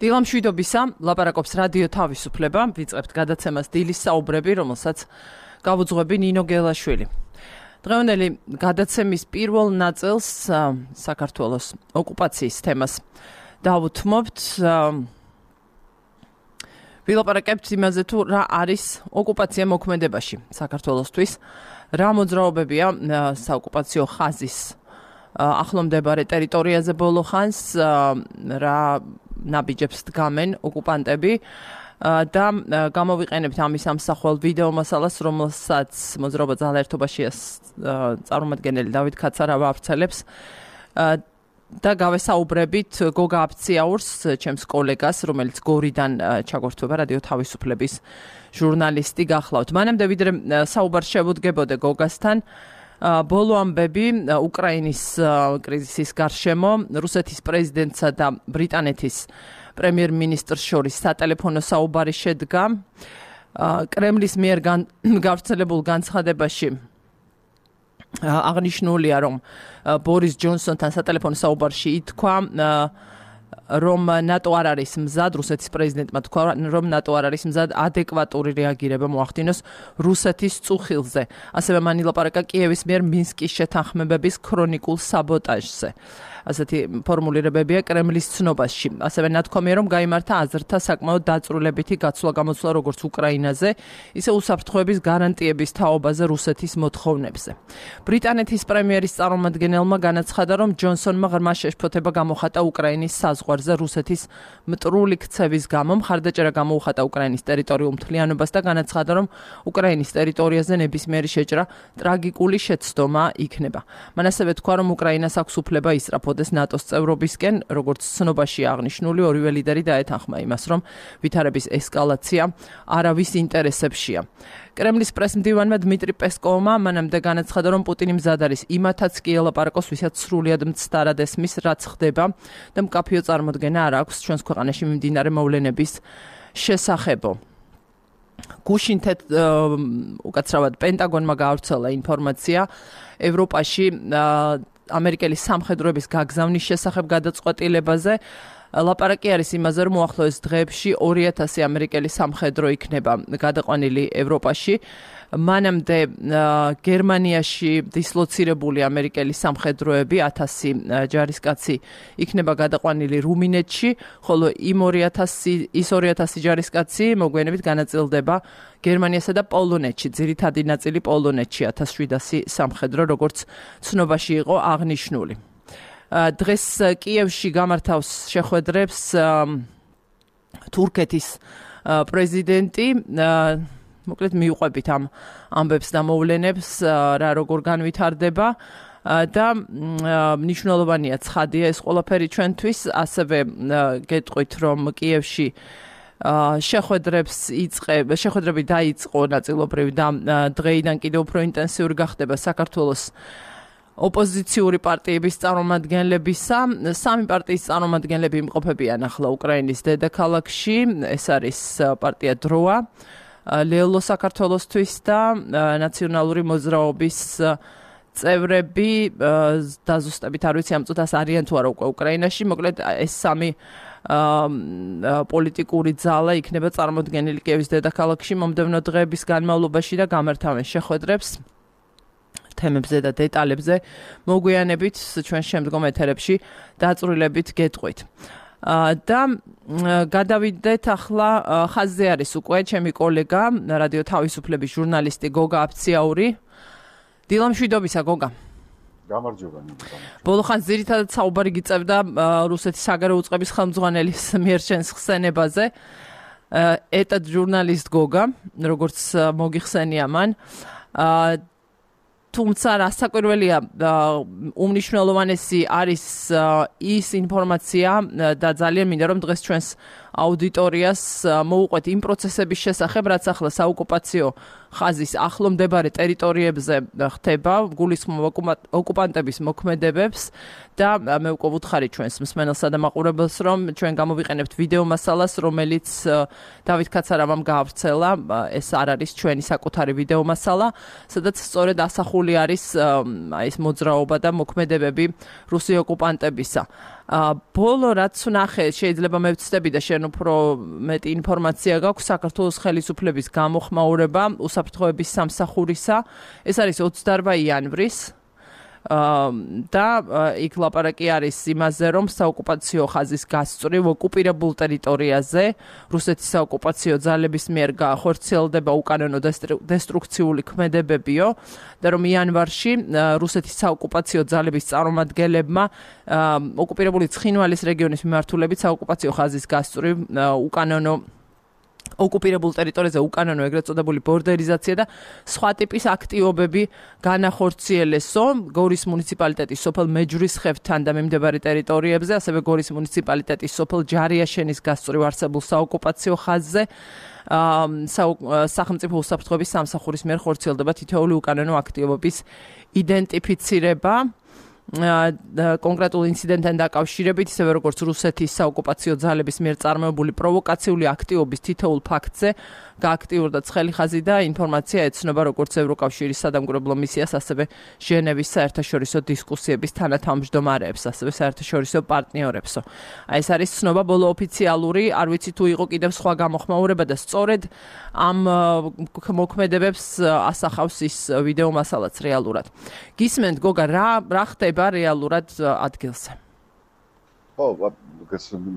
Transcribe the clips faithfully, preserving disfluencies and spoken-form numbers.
დილამშვიდობისა, ლაპარაკობს რადიო თავისუფლება, ვიწყებთ გადაცემას დილის საუბრები, რომელსაც გავუძღვები ნინო გელაშვილი. დღევანდელი გადაცემის პირველ ნაწილს საქართველოს ოკუპაციის თემას დავუთმობთ. ვილაპარაკებთ იმაზე თუ რა არის ოკუპაცია მოქმედებაში საქართველოსთვის, რა მოძრაობებია საოკუპაციო ხაზის ახლომდებარე ტერიტორიაზე ბოლო ხანს, რა ნაბიჯებს დგამენ ოკუპანტები და გამოვიყენებთ ამის ამსახველ ვიდეო მასალას, რომელსაც მოძრაობა ძალაერთობაშია წარმომადგენელი დავით კაცარა ვავრცელებს და გავესაუბრებით გოგა აფციაურს, ჩემს კოლეგას, რომელიც გორიდან ჩაგორთვება რადიო თავისუფლების ჟურნალისტი გახლავთ. მანამდე ვიდრე საუბარ შევუდგებოდე გოგასთან, ბოლო ამბები უკრაინის კრიზისის გარშემო, რუსეთის პრეზიდენტსა და ბრიტანეთის პრემიერ-მინისტრს შორის სატელეფონო საუბარი შედგა. კრემლის მიერ გავრცელებულ განცხადებაში აღნიშნულია, რომ ბორის ჯონსონთან სატელეფონო საუბარში ითქვა, რომ ნატო არ არის მზად, რუსეთის პრეზიდენტმა თქვა, რომ ნატო არ არის მზად ადეკვატური რეაგირება მოახდინოს რუსეთის წუხილზე. ასევე მან ილაპარაკა კიევის მიერ მინსკის შეთანხმებების ქრონიკულ საბოტაჟზე. ასეთი ფორმულირებებია კრემლის ცნობაში. ასევე ნათქვამია, რომ გაიმართა აზრთა საკმაოდ დაწვრილებითი გაცვლა-გამოცვლა როგორც უკრაინაზე, ისე უსაფრთხოების გარანტიების თაობაზე რუსეთის მოთხოვნებზე. ბრიტანეთის პრემიერის წარმომადგენელმა განაცხადა, რომ ჯონსონმა ღრმა შეშფოთება გამოხატა უკრაინის საზღვარზე რუსეთის მტრული ქცევის გამო, მხარდაჭერა გამოუხატა უკრაინის ტერიტორიულ მთლიანობას და განაცხადა, რომ უკრაინის ტერიტორიაზე ნებისმიერი შეჭრა ტრაგიკული შეცდომა იქნება. მან ასევე თქვა, რომ უკრაინას აქვს უფლება ისწრაფოს ნატოს წევრობისკენ, როგორც ცნობაში აღნიშნული, ორივე ლიდერი დაეთანხმა იმას, რომ ვითარების ესკალაცია არავის ინტერესებშია. კრემლის პრესმდივანმა დმიტრი პესკოვმა მანამდე განაცხადა, რომ პუტინი მზად არის იმათაც კი ელაპარაკოს, ვისაც სრულიად მცდარად ესმის, რაც ხდება და მკაფიო წარმოდგენა არ აქვს ჩვენს ქვეყანაში მიმდინარე მოვლენების შესახებო. გუშინ უკაცრავად პენტაგონმა გაავრცელა ინფორმაცია ევროპაში ამერიკელი სამხედროების გაგზავნის შესახებ გადაწყვეტილებაზე. ლაპარაკი არის იმაზე, რომ უახლოეს დღეებში ორი ათასი ამერიკელი სამხედრო იქნება გადაყვანილი ევროპაში. მანამდე გერმანიაში დისლოცირებული ამერიკელი სამხედროები ათასი ჯარისკაცი იქნება გადაყვანილი რუმინეთში, ხოლო იმ ორი ათასი ის ორი ათასი ჯარისკაცი მოგვიანებით განაწილდება გერმანიასა და პოლონეთში, ძირითადი ნაწილი პოლონეთში ათას შვიდასი სამხედრო, როგორც ცნობაში იყო აღნიშნული. დღეს კიევში გამართავს შეხვედრებს თურქეთის პრეზიდენტი. მოკლედ მიუყვებით ამ ამბებს და მოვლენებს, რა როგორ განვითარდება და მნიშვნელოვანია ცხადია ეს ყველაფერი ჩვენთვის. ასევე გეტყვით, რომ კიევში შეხვედრებს იწყებ, შეხვედრები დაიწყო ნაწილობრივ და დღეიდან კიდევ უფრო ინტენსიური გახდება საქართველოს ოპოზიციური პარტიების წარმომადგენლებისა. სამი პარტიის წარმომადგენლები იმყოფებიან ახლა უკრაინის დედაქალაქში. ეს არის პარტია დროა, ლელო საქართველოსთვის და ნაციონალური მოძრაობის წევრები. დაზუსტებით არ ვიცი ამ წუთას არიან თუ არა უკვე უკრაინაში. მოკლედ ეს სამი პოლიტიკური ძალა იქნება წარმოდგენილი კიევის დედაქალაქში მომდევნო დღეების განმავლობაში და გამართავენ შეხვედრებს თემებზე და დეტალებზე. მოგვიანებით ჩვენ შემდგომ ეთერებში დაწვრილებით გეტყვით. და გადავიდეთ ახლა ხაზზე არის უკვე ჩემი კოლეგა, რადიო თავისუფლების ჟურნალისტი გოგა აფციაური. დილამშვიდობისა გოგა. გამარჯობა. ბოლო ხანს ძირითადად საუბარი გიწევდა რუსეთის საგარეო უწყების ხელმძღვანელის მიერ შენს ხსენებაზე. ეტად ჟურნალისტ გოგა, როგორც მოგიხსენია მან. თუმცა რასაკვირველია, უმნიშვნელოვანესი არის ის ინფორმაცია და ძალიან მინდა რომ დღეს ჩვენს აუდიტორიას მოუყვეთ იმ პროცესების შესახებ, რაც ახლა საოკუპაციო ხაზის ახლომდებარე ტერიტორიებზე ხდება, გულისხმობ ოკუპანტების მოქმედებებს და მე უკვე ვუთხარი ჩვენს მსმენელსა და მაყურებელს, რომ ჩვენ გამოვიყენებთ ვიდეო მასალას, რომელიც დავით კაცარავამ გაავრცელა. ეს არ არის ჩვენი საკუთარი ვიდეო მასალა, სადაც სწორედ ასახულია განსხვავებული არის აი ეს მოძრაობა და მოქმედებები რუსი ოკუპანტებისა. ბოლო რაც ვნახე, შეიძლება მე ვცდები და შენ უფრო მეტი ინფორმაცია გაქვს საქართველოს ხელისუფლების გამოხმაურება უსაფრთხოების სამსახურისა. ეს არის ოცდაორ იანვრის და იქ ლაპარაკი არის იმაზე, რომ საოკუპაციო ხაზის გასწვრივ ოკუპირებულ ტერიტორიაზე რუსეთის საოკუპაციო ძალების მიერ განხორციელდება უკანონო დესტრუქციული ქმედებებიო და რომ იანვარში რუსეთის საოკუპაციო ძალების წარმომადგენლებმა ოკუპირებული ცხინვალის რეგიონის მიმართულებით საოკუპაციო ხაზის გასწვრივ უკანონო ოკუპირებულ ტერიტორიაზე უკანონო ეგრეთ წოდებული ბორდერიზაცია და სხვა ტიპის აქტივობები განახორციელესო გორის მუნიციპალიტეტის სოფელ მეჯვრისხევთან და მიმდებარე ტერიტორიებზე, ასევე გორის მუნიციპალიტეტის სოფელ ჯარიაშენის გასწვრივ არსებულ საოკუპაციო ხაზზე სახელმწიფო უსაფრთხოების სამსახურის მიერ ხორციელდება თითოეული უკანონო აქტივობის იდენტიფიცირება. კონკრეტულ ინციდენტთან დაკავშირებით, ისევე როგორც რუსეთის საოკუპაციო ძალების მიერ წარმოებული პროვოკაციული აქტივობის თითოეულ ფაქტზე გააქტიურდა ცხელი ხაზი და ინფორმაცია ეცნობა როგორც ევროკავშირის სადამკვირვებლო მისიას, ასევე ჟენევის საერთაშორისო დისკუსიების თანათავმჯდომარეებს, ასევე საერთაშორისო პარტნიორებსო. აი ეს არის ცნობა ბოლო ოფიციალური, არ ვიცი თუ იყო კიდევ სხვა გამოხმაურება და სწორედ ამ მოქმედებებს ასახავს ის ვიდეო მასალაც რეალურად. გისმენთ გოგა, რა რა ხდება რეალურად ადგილზე? ხო,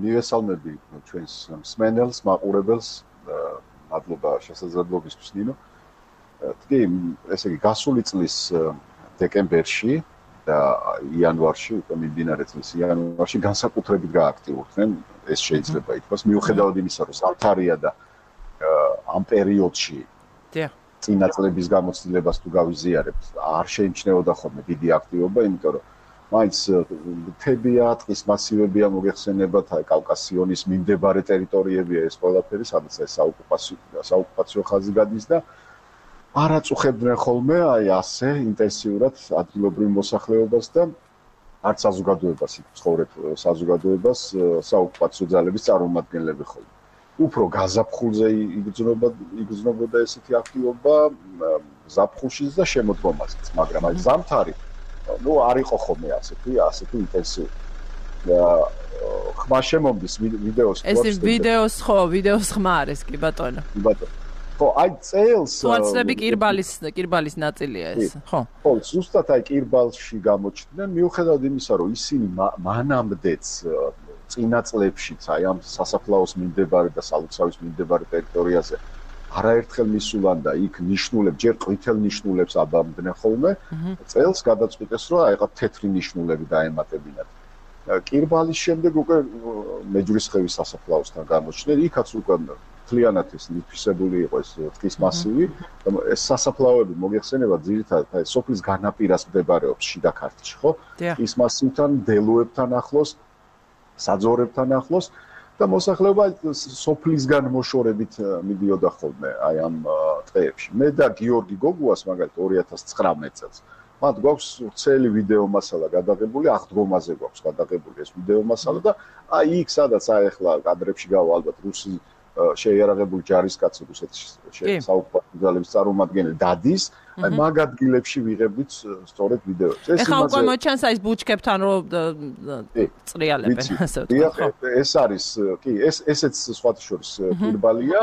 მივესალმები ჩვენს მსმენელს, მაყურებელს, მადლობა შესაძლებლობისთვის ნინო. კი, ესე იგი გასული წლის დეკემბერში და იანვარში, უკვე მიმდინარე წლის იანვარში განსაკუთრებით გააქტიურდნენ, ეს შეიძლება ითქვას, მიუხედავად იმისა, რომ სამთარია და ამ პერიოდში წინა წლების გამოცდილებას თუ გავიზიარებთ, არ შეიმჩნეოდა ხოლმე დიდი აქტივობა, იმიტომ რომ მაინც მთებია, ტყის მასივებია მოგეხსენებათ, აი კავკასიონის მიმდებარე ტერიტორიებია ეს ყველაფერი, სადაც ეს საოკუპაციო საოკუპაციო ხაზი გადის და არ აწუხებდნენ ხოლმე აი ასე ინტენსიურად ადგილობრივ მოსახლეობას და არც საზოგადოებას, იქ ცხოვრებ საზოგადოებას საოკუპაციო ძალების წარმომადგენლები ხოლმე. უფრო გაზაფხულზე იგრძნობა იგრძნობოდა ესეთი აქტივობა ზაფხულშიც და შემოდგომაზეც, მაგრამ აი ზამთარი ну არ იყო ხოლმე ასეთი ასეთი ინტენსიური. და ხმა შემომდის ვიდეოს ეს ვიდეოს ხო, ვიდეოს ხმა არის კი ბატონო. კი ბატონო. ხო, აი წელს თვალწები კირბალის კირბალის ნაწილია ეს, ხო. ხო, ზუსტად აი კირბალში გამოჩნდნენ, მიუხედავად იმისა, რომ ისინი მანამდეც წინა წლებშიც აი ამ სასაფლაოს მიმდებარე და სალოცავის მიმდებარე ტერიტორიაზე არაერთხელ მისულან და იქ ნიშნულებს, ჯერ ყვითელ ნიშნულებს აბამდნენ ხოლმე, წელს გადაწყვიტეს, რომ აი ყა თეთრი ნიშნულები დაემატებინათ. კირბალის შემდეგ უკვე მეჯვრისხევის სასაფლაოსთან გამოჩნდნენ, იქაც უკვე მთლიანად ეს ნიფისებული იყო ეს ტყის მასივი, ეს სასაფლაოები მოგეხსენება ძირითადად აი სოფლის განაპირას მდებარეობს შიდა ქართლში, ხო? ტყის მასივთან, დელოებთან ახლოს, საძოვრებთან ახლოს და მოსახლეობა სოფლისგან მოშორებით მიდიოდა ხოლმე აი ამ ტყეებში. მე და გიორგი გოგუას მაგალითად ორი ათას ცხრამეტ წელს მათ გვაქვს ვრცელი ვიდეო მასალა გადაღებული, აღდგომაზე გვაქვს გადაღებული ეს ვიდეო მასალა და აი იქ სადაც აი ახლა კადრებში გავა ალბათ რუსი შეიარაღებული ჯარისკაცი რუსეთის საოკუპაციო ძალების წარმომადგენელი დადის, აი მაგ ადგილებში ვიღებდით სწორედ ვიდეოებს. ეს ეხლა უკვე მოჩანს აი ეს ბუჩქებთან რომ წრიალებენ ასე ვთქვათ. ეს არის, კი, ეს ესეც სხვათა შორის კირბალია,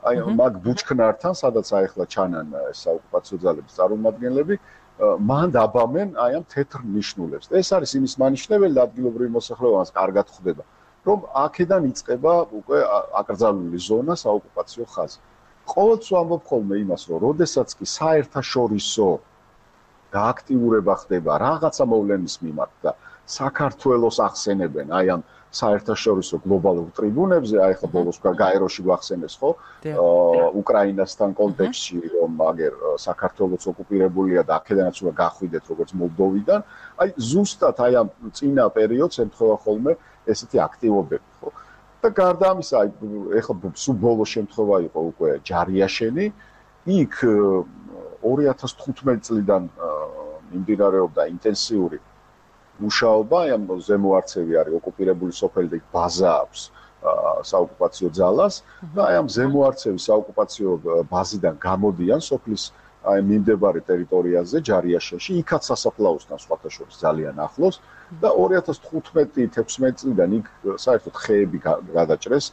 აი მაგ ბუჩქნართან, სადაც აი ახლა ჩანან საოკუპაციო ძალების წარმომადგენლები, მან დაბამენ აი ამ თეთრ ნიშნულებს. ეს არის იმის მანიშნებელი და ადგილობრივი მოსახლეობაც კარგად ხვდება, რომ აქედან იწყება უკვე აკრძალული ზონა საოკუპაციო ხაზი. ყოველთვის ვამბობ ხოლმე იმას, რომ როდესაც კი საერთაშორისო გააქტიურება ხდება რაღაცა მოვლენის მიმართ და საქართველოს ახსენებენ აი ამ საერთაშორისო გლობალურ ტრიბუნებზე, აი ხა ბოლოს გაეროში გვახსენეს ხო? უკრაინასთან კონტექსტში, რომ აგერ საქართველოს ოკუპირებულია და აქედანაც უნდა გახვიდეთ როგორც მოლდოვიდან, აი ზუსტად აი ამ წინა პერიოდს ემთხვევა ხოლმე ესეთი აქტივობები, ხო? და გარდა ამისა, აი ეხლა სულ ბოლო შემთხვევა იყო უკვე ჯარიაშენი, იქ ორი ათას თხუთმეტ წლიდან მიმდინარეობდა ინტენსიური მუშაობა, აი ამ ზემოარცევი არის ოკუპირებული სოფელი და იქ ბაზა აქვს საოკუპაციო ძალას და აი ამ ზემოარცევის საოკუპაციო ბაზიდან გამოდიან სოფლის აი მიმდებარე ტერიტორიაზე ჯარიაშენში, იქაც სასაფლაოსთან სხვათა შორის ძალიან ახლოს და ორი ათას თხუთმეტი თექვსმეტი წლიდან იქ საერთოდ ხეები გადაჭრეს,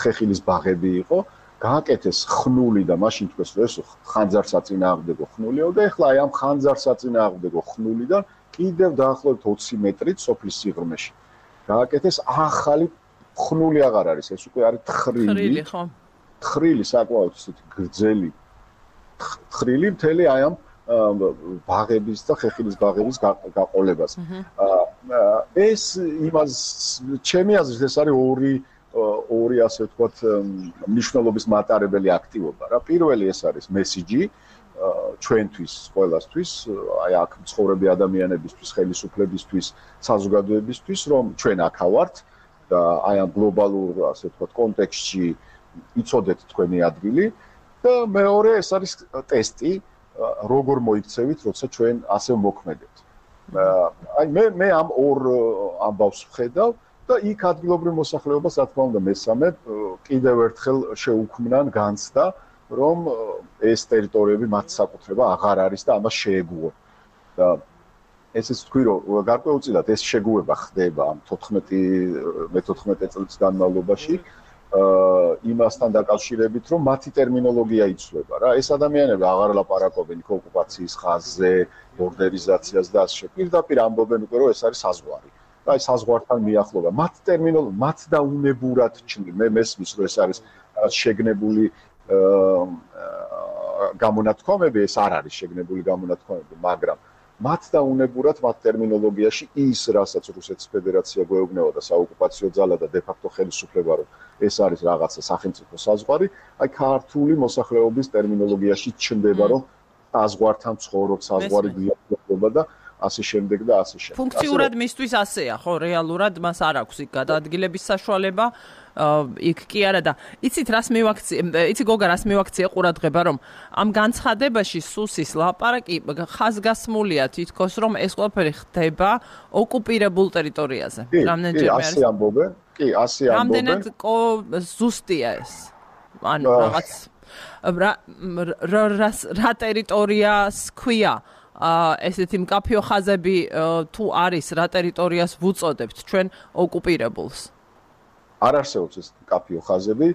ხეხილის ბაღები იყო, გააკეთეს ხნული და მაშინ თქვეს რომ ეს ხანძარსაწინააღმდეგო ხნულიო და ეხლა აი ამ ხანძარსაწინააღმდეგო ხნულიდან კიდევ დაახლოებით ოცი მეტრით სოფლის სიღრმეში გააკეთეს ახალი ხნული აღარ არის, ეს უკვე არის თხრილი. თხრილი ხო? თხრილი საკმაოდ ისეთი გრძელი თხრილი მთელი აი ამ ბაღების და ხეხილის ბაღების გაყოლებას. ეს იმას ჩემი აზრით ეს არის ორი ორი ასე ვთქვათ მნიშვნელობის მატარებელი აქტივობა რა. პირველი ეს არის მესიჯი ჩვენთვის, ყველასთვის, აი აქ მცხოვრები ადამიანებისთვის, ხელისუფლებისთვის, საზოგადოებისთვის, რომ ჩვენ აქა ვართ და აი ამ გლობალურ ასე ვთქვათ კონტექსტში იცოდეთ თქვენი ადგილი და მეორე ეს არის ტესტი, როგორ მოიქცევით, როცა ჩვენ ასე მოქმედებთ. აი მე მე ამ ორ ამბავს ვხედავ და იქ ადგილობრივ მოსახლეობას, რა თქმა უნდა, მესამე კიდევ ერთხელ შეუქმნან განცდა, რომ ეს ტერიტორიები მათ საკუთრება აღარ არის და ამას შეეგუონ. და ესეც თქვი, რომ გარკვეულწილად ეს შეგუება ხდება ამ მეთოთხმეტე წლის განმავლობაში. იმასთან დაკავშირებით, რომ მათი ტერმინოლოგია იცვლება რა. ეს ადამიანები აღარ ლაპარაკობენ ოკუპაციის ხაზზე, ბორდერიზაციას და ასე. პირდაპირ ამბობენ უკვე, რომ ეს არის საზღვარი. აი საზღვართან მიახლოება. მათ ტერმინოლოგია, მათ დაუნებურად ჩნდება. მე მესმის, რომ ეს არის შეგნებული გამონათქვამები, ეს არ არის შეგნებული გამონათქვამები, მაგრამ მათ დაუნებურად მათ ტერმინოლოგიაში ის, რასაც რუსეთის ფედერაცია გვეუბნება და საოკუპაციო ძალა და დე-ფაქტო ხელისუფლება, რომ ეს არის რაღაცა სახელმწიფო საზღვარი, აი ქართული მოსახლეობის ტერმინოლოგიაში ჩნდება, რომ საზღვართან ცხოვრობს, საზღვარი გვიახლოვდება და ასე შემდეგ და ასე შემდეგ. ფუნქციურად მისთვის ასეა, ხო, რეალურად მას არ აქვს იქ გადაადგილების საშუალება, იქ კი არა და იცით რას მივაქცია, იცი გოგა რას მივაქცია ყურადღება, რომ ამ განცხადებაში სუსის ლაპარაკი ხაზგასმულია თითქოს, რომ ეს ყველაფერი ხდება ოკუპირებულ ტერიტორიაზე. რამდენჯერმე არის? ასე ამბობენ, კი, ასე ამბობენ. რამდენად ზუსტია ეს? ანუ რაღაც რა ტერიტორიას ქვია? ესეთი მკაფიო ხაზები თუ არის რა ტერიტორიას ვუწოდებთ ჩვენ ოკუპირებულს? არ არსებობს ეს მკაფიო ხაზები,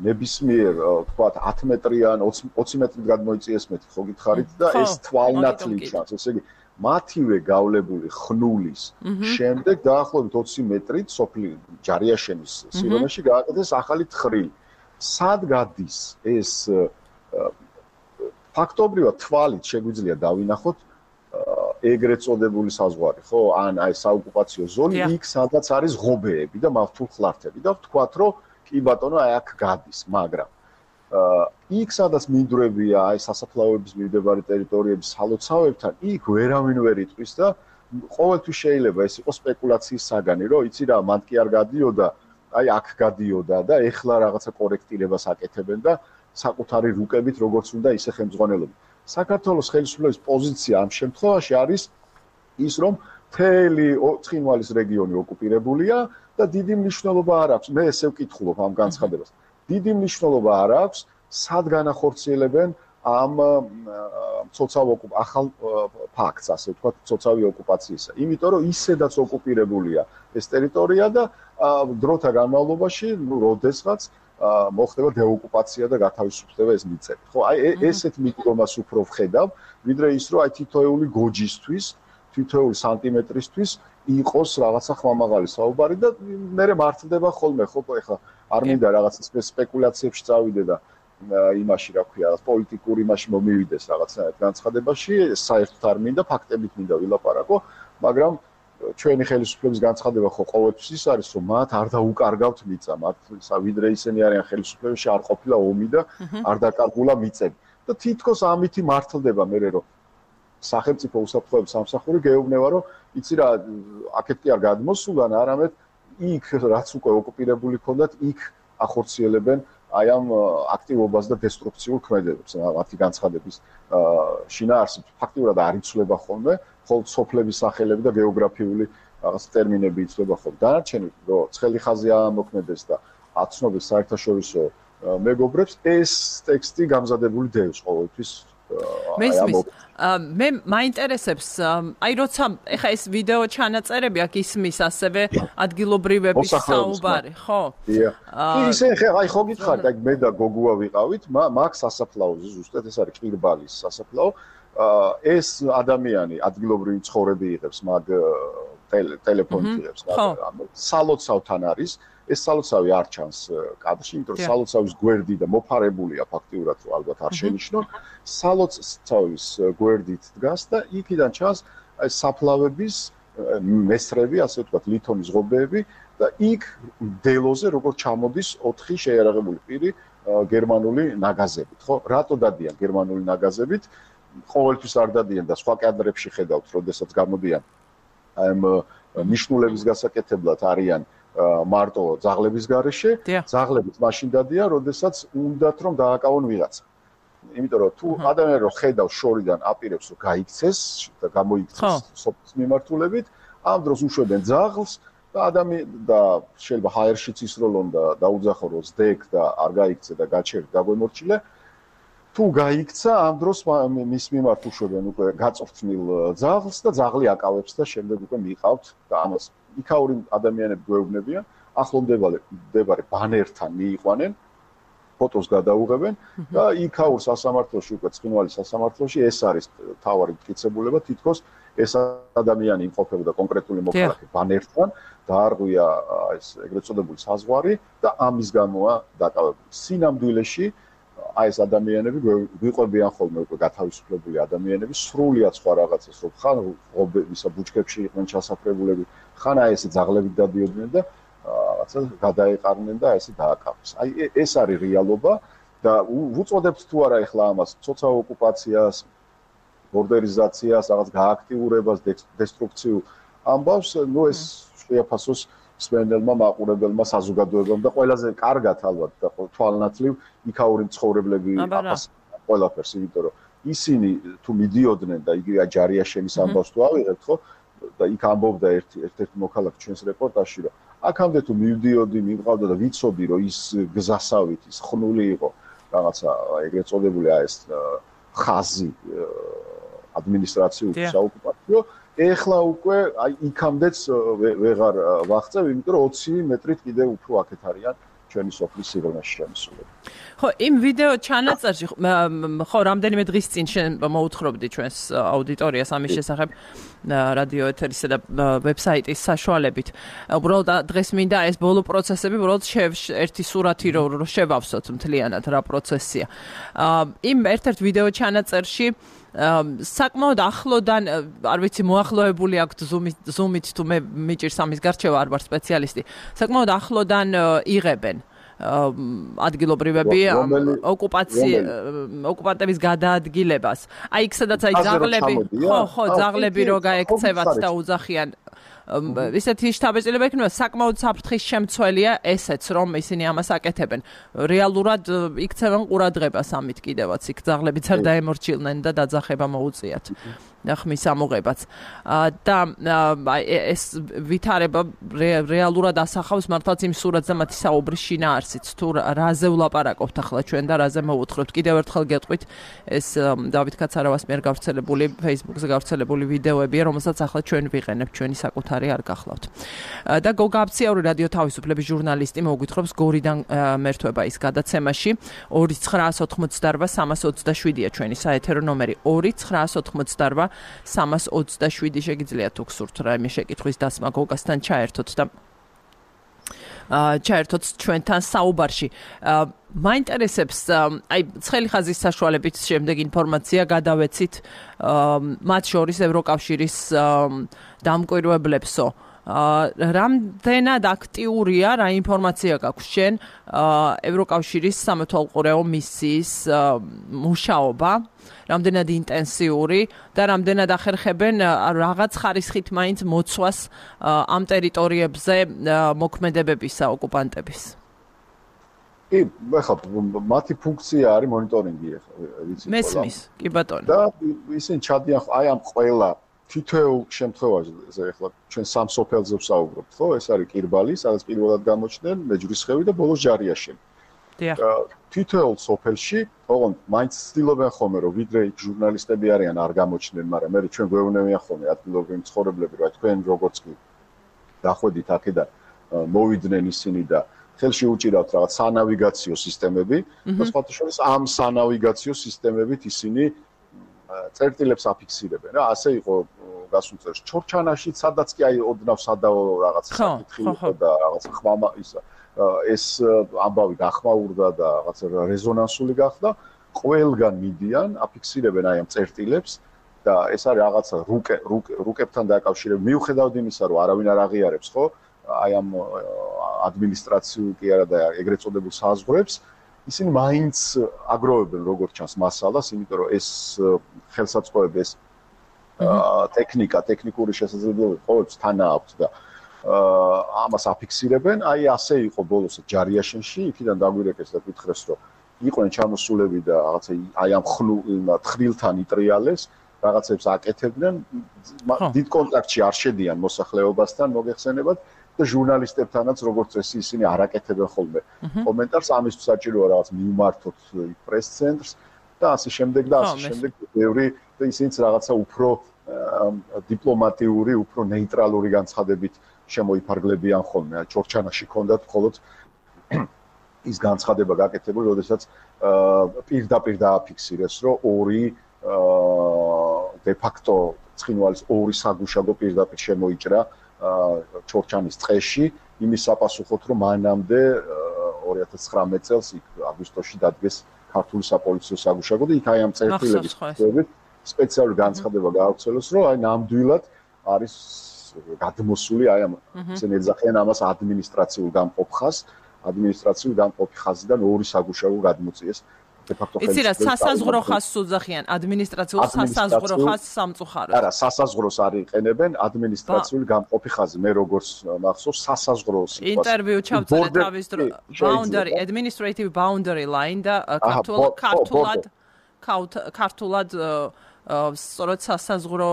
ნებისმიერ თქვათ ათი მეტრიან, ოცი მეტრით გადმოიწიეს მეტი ხო გითხარით და ეს თვალნათლი ჩანს, ესე იგი მათივე გავლებული ხნულის შემდეგ დაახლოებით ოცი მეტრით სოფლი ჯარიაშენის სიღრმეში გააკეთეს ახალი თხრილი. სად გადის ეს ფაქტობრივად თვალით შეგვიძლია დავინახოთ ეგრეთ წოდებული საზღვარი, ხო? ან აი საოკუპაციო ზონი, იქ სადაც არის ღობეები და მავთულ ხლართები და ვთქვათ, რომ კი ბატონო, აი აქ გადის, მაგრამ იქ სადაც მინდვრებია, აი სასაფლაოების მიმდებარე ტერიტორიების სალოცავებთან, იქ ვერავინ ვერ იტყვის და ყოველთვის შეიძლება ეს იყოს სპეკულაციის საგანი, რომ იცი რა, მან კი არ გადიოდა, აი აქ გადიოდა და ეხლა რაღაცა კორექტირებას აკეთებენ და საკუთარი რუკებით როგორც უნდა ისე ხელმძღვანელობენ. საქართველოს ხელისუფლების პოზიცია ამ შემთხვევაში არის ის, რომ მთელი ცხინვალის რეგიონი ოკუპირებულია და დიდი მნიშვნელობა არ აქვს. მე ესე ვკითხულობ ამ განცხადებას. დიდი მნიშვნელობა არ აქვს, სად განახორციელებენ ამ მცოცავ ახალ ფაქტს, ასე ვთქვათ, მცოცავი ოკუპაციისა. იმიტომ რომ ისედაც ოკუპირებულია ეს ტერიტორია და დროთა განმავლობაში, ნუ როდესღაც მოხდება დეოკუპაცია და გათავისუფლდება ეს მიწები. ხო, აი ესეთ მიდგომას უფრო ვხედავ, ვიდრე ის, რომ აი თითოეული გოჯისთვის, თითოეული სანტიმეტრისთვის იყოს რაღაცა ხმამაღალი საუბარი და მერე მართლდება ხოლმე, ხო, ეხლა არ მინდა რაღაც სპეკულაციებში წავიდე და იმაში, რა ქვია, პოლიტიკურ იმაში მომივიდეს რაღაცნაირად განცხადებაში, საერთოდ არ მინდა, ფაქტებით მინდა ვილაპარაკო, მაგრამ ჩვენი ხელისუფლების განცხადება ხო ყოველთვის ის არის, რომ მათ არ დაუკარგავთ მიწა, მათ ვიდრე ისინი არიან ხელისუფლებაში, არ ყოფილა ომი და არ დაკარგულა მიწები. და თითქოს ამითი მართლდება მერე, რომ სახელმწიფო უსაფრთხოების სამსახური გეუბნება, რომ იცი რა, აქეთ კი არ გადმოსულან, არამედ იქ რაც უკვე ოკუპირებული ქონდათ, იქ ახორციელებენ აი ამ აქტივობას და დესტრუქციულ ქმედებებს, მათი განცხადების შინაარსით ფაქტიურად არ იცვლება ხოლმე, ხოლმე სოფლების სახელები და გეოგრაფიული რაღაც ტერმინები იცვლება ხოლმე. დანარჩენი, რომ ცხელი ხაზი ამოქმედეს და აცნობის საერთაშორისო მეგობრებს, ეს ტექსტი გამზადებული დევს ყოველთვის მესმის მე მაინტერესებს აი როცა ეხა ეს ვიდეო ჩანაწერები აქ ისმის ასევე ადგილობრივების საუბარი ხო კი ისე აი ხო გითხარით აი მე და გოგუა ვიყავით მაგ სასაფლაოზე ზუსტად ეს არის ყირბალის სასაფლაო ეს ადამიანი ადგილობრივი ცხოვრები იღებს მაგ ტელეფონით იღებს სალოცავთან არის ეს სალოცავი არ ჩანს კადრში, იმიტომ რომ სალოცავის გვერდი და მოფარებულია ფაქტიურად, რომ ალბათ არ შენიშნო. სალოცავის გვერდით დგას და იქიდან ჩანს აი საფლავების მესრები, ასე ვთქვათ, ლითონის ღობეები და იქ დელოზე როგორ ჩამოდის ოთხი შეიარაღებული პირი გერმანული ნაგაზებით, ხო? რატო დადიან გერმანული ნაგაზებით? ყოველთვის არ დადიან და სხვა კადრებში ხედავთ, როდესაც გამოდიან აი ამ ნიშნულების გასაკეთებლად არიან მარტო ძაღლების გარეშე, ძაღლებიც მაშინ დადიან, როდესაც უნდათ რომ დააკავონ ვიღაცა. იმიტომ რომ თუ ადამიანი რომ ხედავს შორიდან აპირებს რომ გაიქცეს და გამოიქცეს სოფლის მიმართულებით, ამ დროს უშვებენ ძაღლს და ადამიანი და შეიძლება ჰაერშიც ისროლონ და დაუძახო რომ ზდეკ და არ გაიქცე და გაჩერდა დაგვემორჩილე. თუ გაიქცა, ამ დროს მის მიმართ უშვებენ უკვე გაწვრთნილ ძაღლს და ძაღლი აკავებს და შემდეგ უკვე მიყავთ და ამას იქაური ადამიანები გვეუბნებიან, ახლომდებარე მდებარე ბანერთან მიიყვანენ, ფოტოს გადაუღებენ და იქაურ სასამართლოში, უკვე ცხინვალის სასამართლოში ეს არის თავარი მტკიცებულება, თითქოს ეს ადამიანი იმყოფებოდა კონკრეტული მოქალაქე ბანერთან, დაარღვია ეს ეგრეთ წოდებული საზღვარი და ამის გამოა დაკავებული. სინამდვილეში აი ეს ადამიანები გვიყვებიან ხოლმე უკვე გათავისუფლებული ადამიანები, სრულიად სხვა რაღაცას, რომ ხან ღობებისა ბუჩქებში იყვნენ ჩასაფრებულები, ხან აი ესე ძაღლებით დადიოდნენ და რაღაცა გადაეყარნენ და ესე დააკავეს. აი ეს არის რეალობა და უწოდებთ თუ არა ახლა ამას ცოცა ოკუპაციას, ბორდერიზაციას, რაღაც გააქტიურებას, დესტრუქციულ ამბავს, ნუ ეს შეაფასოს სპენდელმა მაყურებელმა საზოგადოებამ და ყველაზე კარგად ალბათ და თვალნათლივ იქაური მცხოვრებლები აფასებენ ყველაფერს, იმიტომ რომ ისინი თუ მიდიოდნენ და იგივე ჯარიაშენის ამბავს თუ ავიღებთ, ხო? და იქ ამბობდა ერთი ერთ-ერთი მოქალაქე ჩვენს რეპორტაჟში, რომ აქამდე თუ მივდიოდი, მივყავდა და ვიცოდი, რომ ის გზასავით, ის ხნული იყო, რაღაცა ეგრეთ წოდებული აი ეს ხაზი ადმინისტრაციული საოკუპაციო, ეხლა უკვე აი იქამდეც ვეღარ ვაღწევ, იმიტომ რომ ოცი მეტრით კიდევ უფრო აქეთ არიან ჩვენი სოფლის სიღრმეში შემოსულები. ხო, იმ ვიდეო ჩანაწერში ხო, რამდენიმე დღის წინ შენ მოუთხრობდი ჩვენს აუდიტორიას ამის შესახებ რადიო ეთერისა და ვებსაიტის საშუალებით. უბრალოდ დღეს მინდა ეს ბოლო პროცესები, უბრალოდ ერთი სურათი რომ შევავსოთ მთლიანად რა პროცესია. იმ ერთ-ერთ ვიდეო ჩანაწერში საკმაოდ ახლოდან, არ ვიცი, მოახლოებული აქვთ ზუმით თუ მე მიჭირს ამის გარჩევა, არ ვარ სპეციალისტი. საკმაოდ ახლოდან იღებენ ადგილობრივები ოკუპანტების გადაადგილებას. აი იქ სადაც აი ძაღლები, ხო, ხო, ძაღლები რო გაექცევათ და უძახიან ისეთი შთაბეჭდილება იქნება, საკმაოდ საფრთხის შემცველია ესეც, რომ ისინი ამას აკეთებენ. რეალურად იქცევენ ყურადღებას ამით კიდევაც, იქ ძაღლებიც არ დაემორჩილნენ და დაძახება მოუწიათ. ხმის ამოღებაც. და ეს ვითარება რეალურად ასახავს მართლაც იმ სურათს და მათი საუბრის შინაარსიც, თუ რაზე ვლაპარაკობთ ახლა ჩვენ და რაზე მოვუთხრობთ. კიდევ ერთხელ გეტყვით, ეს დავით კაცარავას მიერ გავრცელებული Facebook-ზე გავრცელებული ვიდეოებია, რომელსაც ახლა ჩვენ ვიყენებთ, ჩვენი საკუთარი არ გახლავთ. და გოგა აბციაური რადიო თავისუფლების ჟურნალისტი მოგვითხრობს გორიდან მერთვება ის გადაცემაში ორი ცხრაას ოთხმოცდარვა სამას ოცდაშვიდია ჩვენი საეთერო ნომერი ორი ცხრაას ოთხმოცდარვა სამას ოცდაშვიდი შეგიძლიათ თუ გსურთ რაიმე შეკითხვის დასმა გოგასთან ჩაერთოთ და ჩაერთოთ ჩვენთან საუბარში. მაინტერესებს აი ცხელი ხაზის საშუალებით შემდეგ ინფორმაცია გადავეცით მათ შორის ევროკავშირის დამკვირვებლებსო. რამდენად აქტიურია რა ინფორმაცია გაქვს შენ ევროკავშირის სამეთვალყურეო მისიის მუშაობა, რამდენად ინტენსიური და რამდენად ახერხებენ რაღაც ხარისხით მაინც მოცვას ამ ტერიტორიებზე მოქმედებებისა ოკუპანტების. კი, ახლა მათი ფუნქცია არის მონიტორინგი ახლა, ვიცი ყველა. მესმის, კი ბატონო. და ისინი ჩადიან აი ამ ყველა თითოეულ შემთხვევაში, ახლა ჩვენ სამ სოფელზე ვსაუბრობთ, ხო? ეს არის ყირბალი, სადაც პირველად გამოჩნდნენ, მეჯვრისხევი და ბოლოს ჯარიაშენი. თითოეულ სოფელში, ოღონდ მაინც ცდილობენ ხოლმე, რომ ვიდრე იქ ჟურნალისტები არიან, არ გამოჩნდნენ, მაგრამ მე ჩვენ გვეუბნებიან ხოლმე ადგილობრივი მცხოვრებლები, რომ თქვენ როგორც კი დახვედით აქედან, მოვიდნენ ისინი და ხელში უჭირავთ რაღაც სანავიგაციო სისტემები და სხვათა შორის ამ სანავიგაციო სისტემებით ისინი წერტილებს აფიქსირებენ რა ასე იყო გასულ წელს ჩორჩანაში სადაც კი აი ოდნავ სადაო რაღაც საკითხი იყო და რაღაც ხმამა ისა ეს ამბავი გახმაურდა და რაღაც რეზონანსული გახდა ყველგან მიდიან აფიქსირებენ აი ამ წერტილებს და ეს არის რაღაცა რუკე რუკებთან დაკავშირებული მიუხედავად იმისა რომ არავინ არ აღიარებს ხო აი ამ ადმინისტრაციულ კი არა და ეგრეთ წოდებულ საზღვრებს ისინი მაინც აგროვებენ როგორც ჩანს მასალას, იმიტომ რომ ეს ხელსაწყოები ეს ტექნიკა, ტექნიკური შესაძლებლობები ყოველთვის თან აქვს და ამას აფიქსირებენ. აი ასე იყო ბოლოს ჯარიაშენში, იქიდან დაგვირეკეს და გითხრეს რომ იყვნენ ჩამოსულები და რაღაცა აი ამ თხრილთან იტრიალეს, რაღაცებს აკეთებდნენ, დიდ კონტაქტში არ შედიან მოსახლეობასთან, მოგეხსენებათ და ჟურნალისტებთანაც როგორც წესი ისინი არ აკეთებენ ხოლმე კომენტარს ამისთვის საჭიროა რაღაც მიუმართოთ პრეს ცენტრს და ასე შემდეგ და ასე შემდეგ ბევრი და ისინიც რაღაცა უფრო დიპლომატიური, უფრო ნეიტრალური განცხადებით შემოიფარგლებიან ხოლმე. ჩორჩანაში ჰქონდათ მხოლოდ ის განცხადება გაკეთებული, როდესაც პირდაპირ დააფიქსირეს, რომ ორი დე ფაქტო ცხინვალის ორი საგუშაგო პირდაპირ შემოიჭრა ჩორჩანის ტყეში იმის საპასუხოდ რომ მანამდე ორი ათას ცხრამეტ წელს იქ აგვისტოში დადგეს ქართული საპოლიციო საგუშაგო და იქ აი ამ წერტილების შეფერებით სპეციალური განცხადება გაავრცელეს რომ აი ნამდვილად არის გადმოსული აი ამ ისინი ეძახიან ამას ადმინისტრაციულ გამყოფ ხაზს ადმინისტრაციულ გამყოფი ხაზიდან ორი საგუშაგო გადმოწიეს იცი რა სასაზღვრო ხაზს უძახიან ადმინისტრაციულ სასაზღვრო ხაზს სამწუხაროდ არა სასაზღვროს არ იყენებენ ადმინისტრაციული გამყოფი ხაზი მე როგორც მახსოვს სასაზღვრო სიტყვას ინტერვიუ ჩავწერე თავის დრო boundary administrative boundary line და ქართულად ქართულად ქართულად სწორედ სასაზღვრო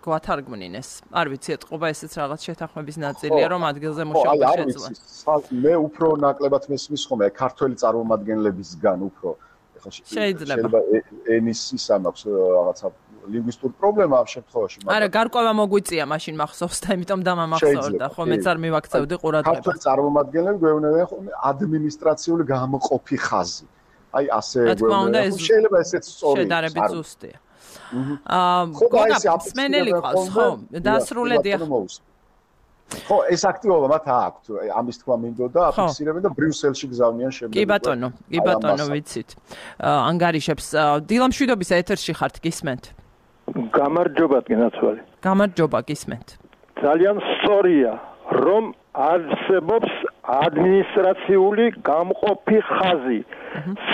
გვათარგმნინ ეს არ ვიცი ეთყობა ესეც რაღაც შეთანხმების ნაწილია რომ ადგილზე მუშაობა შეძლო მე უფრო ნაკლებად მესმის ხოლმე ქართველი წარმომადგენლებისგან უფრო შეიძლება ენის ისა მაქვს რაღაცა ლინგვისტურ პრობლემა ამ შემთხვევაში მაგრამ არა გარკვევა მოგვიწია მაშინ მახსოვს და იმიტომ დამამახსოვრდა ხო მეც არ მივაქცევდი ყურადღებას ქართული წარმომადგენლები გვეუბნებიან ხოლმე ადმინისტრაციული გამყოფი ხაზი აი ასე გვეუბნებიან შეიძლება ესეც სწორი შედარებით ზუსტია აა გოგა სმენელი ყავს ხო დასრულედია ხო ეს აქტივობა მათ აქვთ ამის თქვა მინდოდა აფიქსირებენ და ბრიუსელში გზავნიან შემდეგ კი ბატონო კი ბატონო ვიცით ანგარიშებს დილამშვიდობის ეთერში ხართ გისმენთ გამარჯობათ გენაცვალე გამარჯობა გისმენთ ძალიან სწორია რომ არსებობს ადმინისტრაციული გამყოფი ხაზი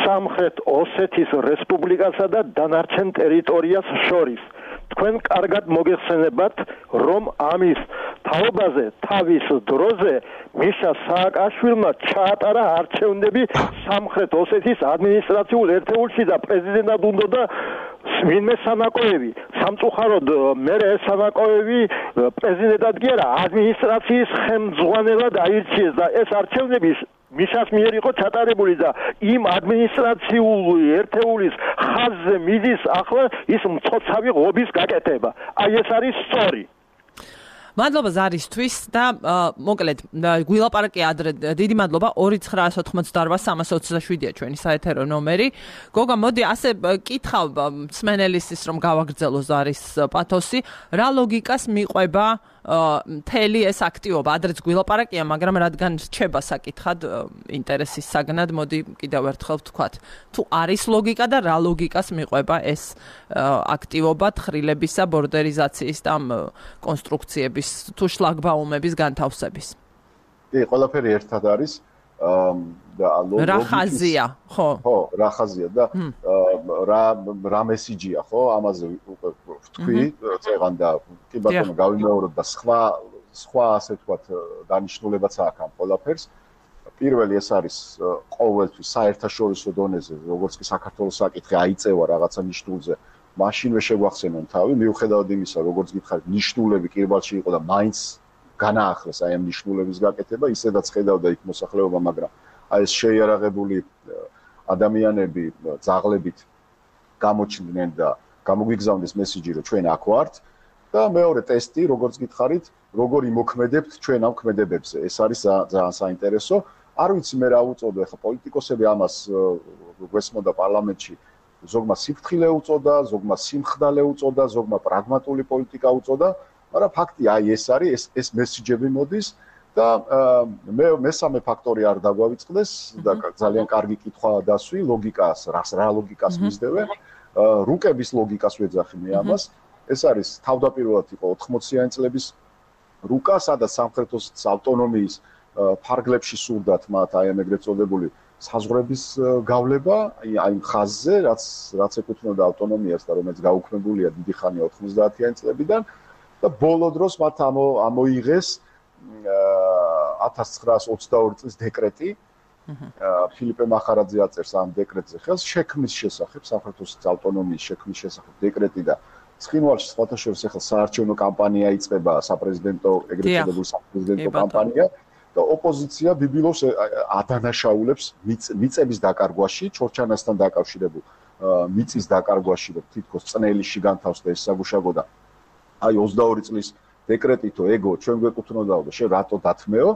სამხრეთ ოსეთის რესპუბლიკასა და დანარჩენ ტერიტორიას შორის თქვენ კარგად მოგეხსენებათ რომ ამის თაობაზე თავის დროზე მიშა სააკაშვილმა ჩაატარა არჩევნები სამხრეთ ოსეთის ადმინისტრაციულ ერთეულში და პრეზიდენტად უნდოდა ვინმე სანაკოევი სამწუხაროდ მე ეს სანაკოევი პრეზიდენტად კი არა ადმინისტრაციის ხელმძღვანელად აირჩიეს და ეს არჩევნები მიშას მიერ იყო ჩატარებული და იმ ადმინისტრაციული ერთეულის ხაზზე მიდის ახლა ის მწყოცავი ღობის გაკეთება. აი ეს არის სწორი. მადლობა ზარისთვის და მოკლედ გვილაპარაკე ადრე დიდი მადლობა ორი ცხრაას ოთხმოცდაორ სამას ოცდაშვიდია ჩვენი საეთერო ნომერი. გოგა მოდი ასე კითხავ მსმენელისთვის რომ გავაგრძელო ზარის პათოსი რა ლოგიკას მიყვება მთელი ეს აქტივობა ადრეც გვილაპარაკია მაგრამ რადგან რჩება საკითხად ინტერესის საგნად მოდი კიდევ ერთხელ ვთქვათ თუ არის ლოგიკა და რა ლოგიკას მიყვება ეს აქტივობა თხრილებისა ბორდერიზაციის და კონსტრუქციების თუ შლაგბაუმების განთავსების კი ყველაფერი ერთად არის და რა ხაზია ხო ხო რა ხაზია და რა რა მესიჯია ხო ამაზე ვთქვი წეგან და კი ბატონო გავიმეორებ და სხვა სხვა ასე ვთქვათ დანიშნულებაც აქვს ამ ყველაფერს პირველი ეს არის ყოველთვის საერთაშორისო დონეზე როგორც კი საქართველოს საკითხი აიწევა რაღაცა ნიშნულზე მაშინვე შეგვახსენონ თავი მიუხედავად იმისა როგორც გითხარით ნიშნულები კირბალში იყო და მაინც განაახლეს აი ამ ნიშნულების გაკეთება ისედაც ხედავდა იქ მოსახლეობა მაგრამ აი ეს შეიარაღებული ადამიანები ძაღლებით გამოჩნდნენ და გამოგვიგზავნეს მესიჯი, რომ ჩვენ აქ ვართ და მეორე ტესტი, როგორც გითხარით, როგორ იმოქმედებთ ჩვენ ამ ქმედებებზე. ეს არის ძალიან საინტერესო. არ ვიცი მე რა უწოდო, ეხლა პოლიტიკოსები ამას გვესმოდა პარლამენტში, ზოგმა სიფრთხილე უწოდა, ზოგმა სიმხდალე უწოდა, ზოგმა პრაგმატული პოლიტიკა უწოდა, მაგრამ ფაქტია, აი ეს არის, ეს ეს მესიჯები მოდის და მე მესამე ფაქტორი არ დაგვავიწყდეს და ძალიან კარგი კითხვა დასვი, ლოგიკას, რა ლოგიკას მისდევენ, რუკების ლოგიკას ვეძახი მე ამას. ეს არის თავდაპირველად იყო ოთხმოციანი წლების რუკა, სადაც სამხრეთის ავტონომიის ფარგლებში სურდათ მათ აი ამ ეგრეთ წოდებული საზღვრების გავლება, აი იმ ხაზზე, რაც რაც ეკუთვნოდა ავტონომიას და რომელიც გაუქმებულია დიდი ხანია ოთხმოცდაათიანი წლებიდან და ბოლო დროს მათ ამოიღეს ათას ცხრაას ოცდაორი წლის დეკრეტი. ფილიპე მახარაძე აწერს ამ დეკრეტზე ხელს შექმნის შესახებ, საქართველოს ავტონომიის შექმნის შესახებ დეკრეტი და ცხინვალში სხვათა შორის ახლა საარჩევნო კამპანია იწყება, საპრეზიდენტო ეგრეთ წოდებული საპრეზიდენტო კამპანია და ოპოზიცია ბიბილოვს ადანაშაულებს მიწების დაკარგვაში, ჩორჩანასთან დაკავშირებულ მიწის დაკარგვაში, რომ თითქოს წნელში განთავსდა ეს საგუშაგო და აი ოცდაორი წლის დეკრეტითო ეგო ჩვენ გვეკუთვნოდაო და შენ რატო დათმეო?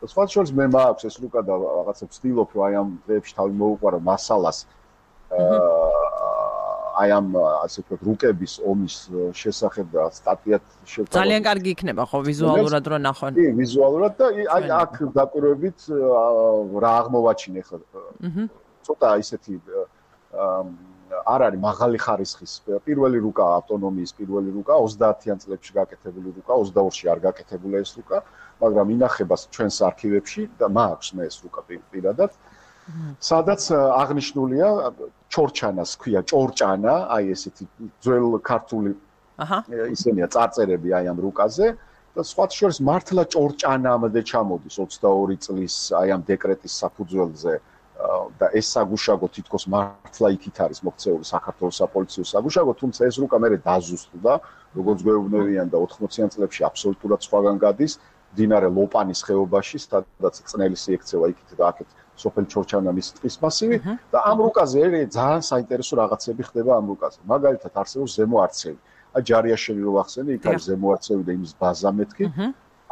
სხვათა შორის მე მაქვს ეს რუკა და რაღაცა ვცდილობ რომ აი ამ დღეებში თავი მოუყარო მასალას აი ამ ასე ვთქვათ რუკების ომის შესახებ და სტატიად შევთავაზე. ძალიან კარგი იქნება ხო ვიზუალურად რო ნახონ. კი, ვიზუალურად და აი აქ დაკვირვებით რა აღმოვაჩინე ხა. ცოტა ისეთი არ არის მაღალი ხარისხის პირველი რუკა ავტონომიის პირველი რუკა ოცდაათიან წლებში გაკეთებული რუკა, ოცდაორში არ გაკეთებულა ეს რუკა, მაგრამ ინახება ჩვენს არქივებში და მაქვს მე ეს რუკა პირადად. სადაც აღნიშნულია ჩორჩანას ქვია ჭორჭანა, აი ესეთი ძველ ქართული აჰა ისენია წარწერები აი ამ რუკაზე და სხვათა შორის მართლა ჭორჭანამდე ჩამოდის ოცდაორი წლის აი ამ დეკრეტის საფუძველზე და ეს საგუშაგო თითქოს მართლა იქით არის მოქცეული საქართველოს საპოლიციო საგუშაგო, თუმცა ეს რუკა მერე დაზუსტდა, როგორც გვეუბნებიან და ოთხმოციან წლებში აბსოლუტურად სხვაგან გადის მდინარე ლოპანის ხეობაში, სადაც წნელის ექცევა იქით და აქეთ სოფელ ჩორჩანამის ტყის მასივი და ამ რუკაზე ძალიან საინტერესო რაღაცები ხდება ამ რუკაზე. მაგალითად არსებობს ზემო არცევი. აი ჯარიაშვილი რო ახსენე, იქ არის ზემო არცევი და იმის ბაზა მეთქი.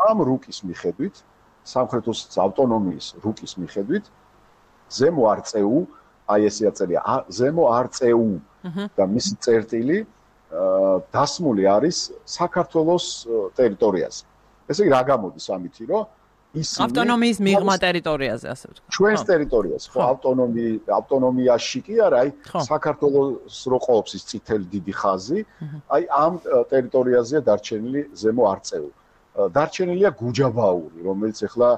ამ რუკის მიხედვით, სამხრეთის ავტონომიის რუკის მიხედვით, ზემო არწეუ, აი ესე აწერია, ზემო არწეუ და მისი წერტილი დასმული არის საქართველოს ტერიტორიაზე. ესე იგი რა გამოდის ამითი, რომ ისინი ავტონომიის მიღმა ტერიტორიაზე, ასე ვთქვათ. ჩვენს ტერიტორიაზე, ხო, ავტონომი ავტონომიაში კი არა, აი საქართველოს რო ყოფს ის წითელი დიდი ხაზი, აი ამ ტერიტორიაზეა დარჩენილი ზემო არწეუ. დარჩენილია გუჯაბაური, რომელიც ახლა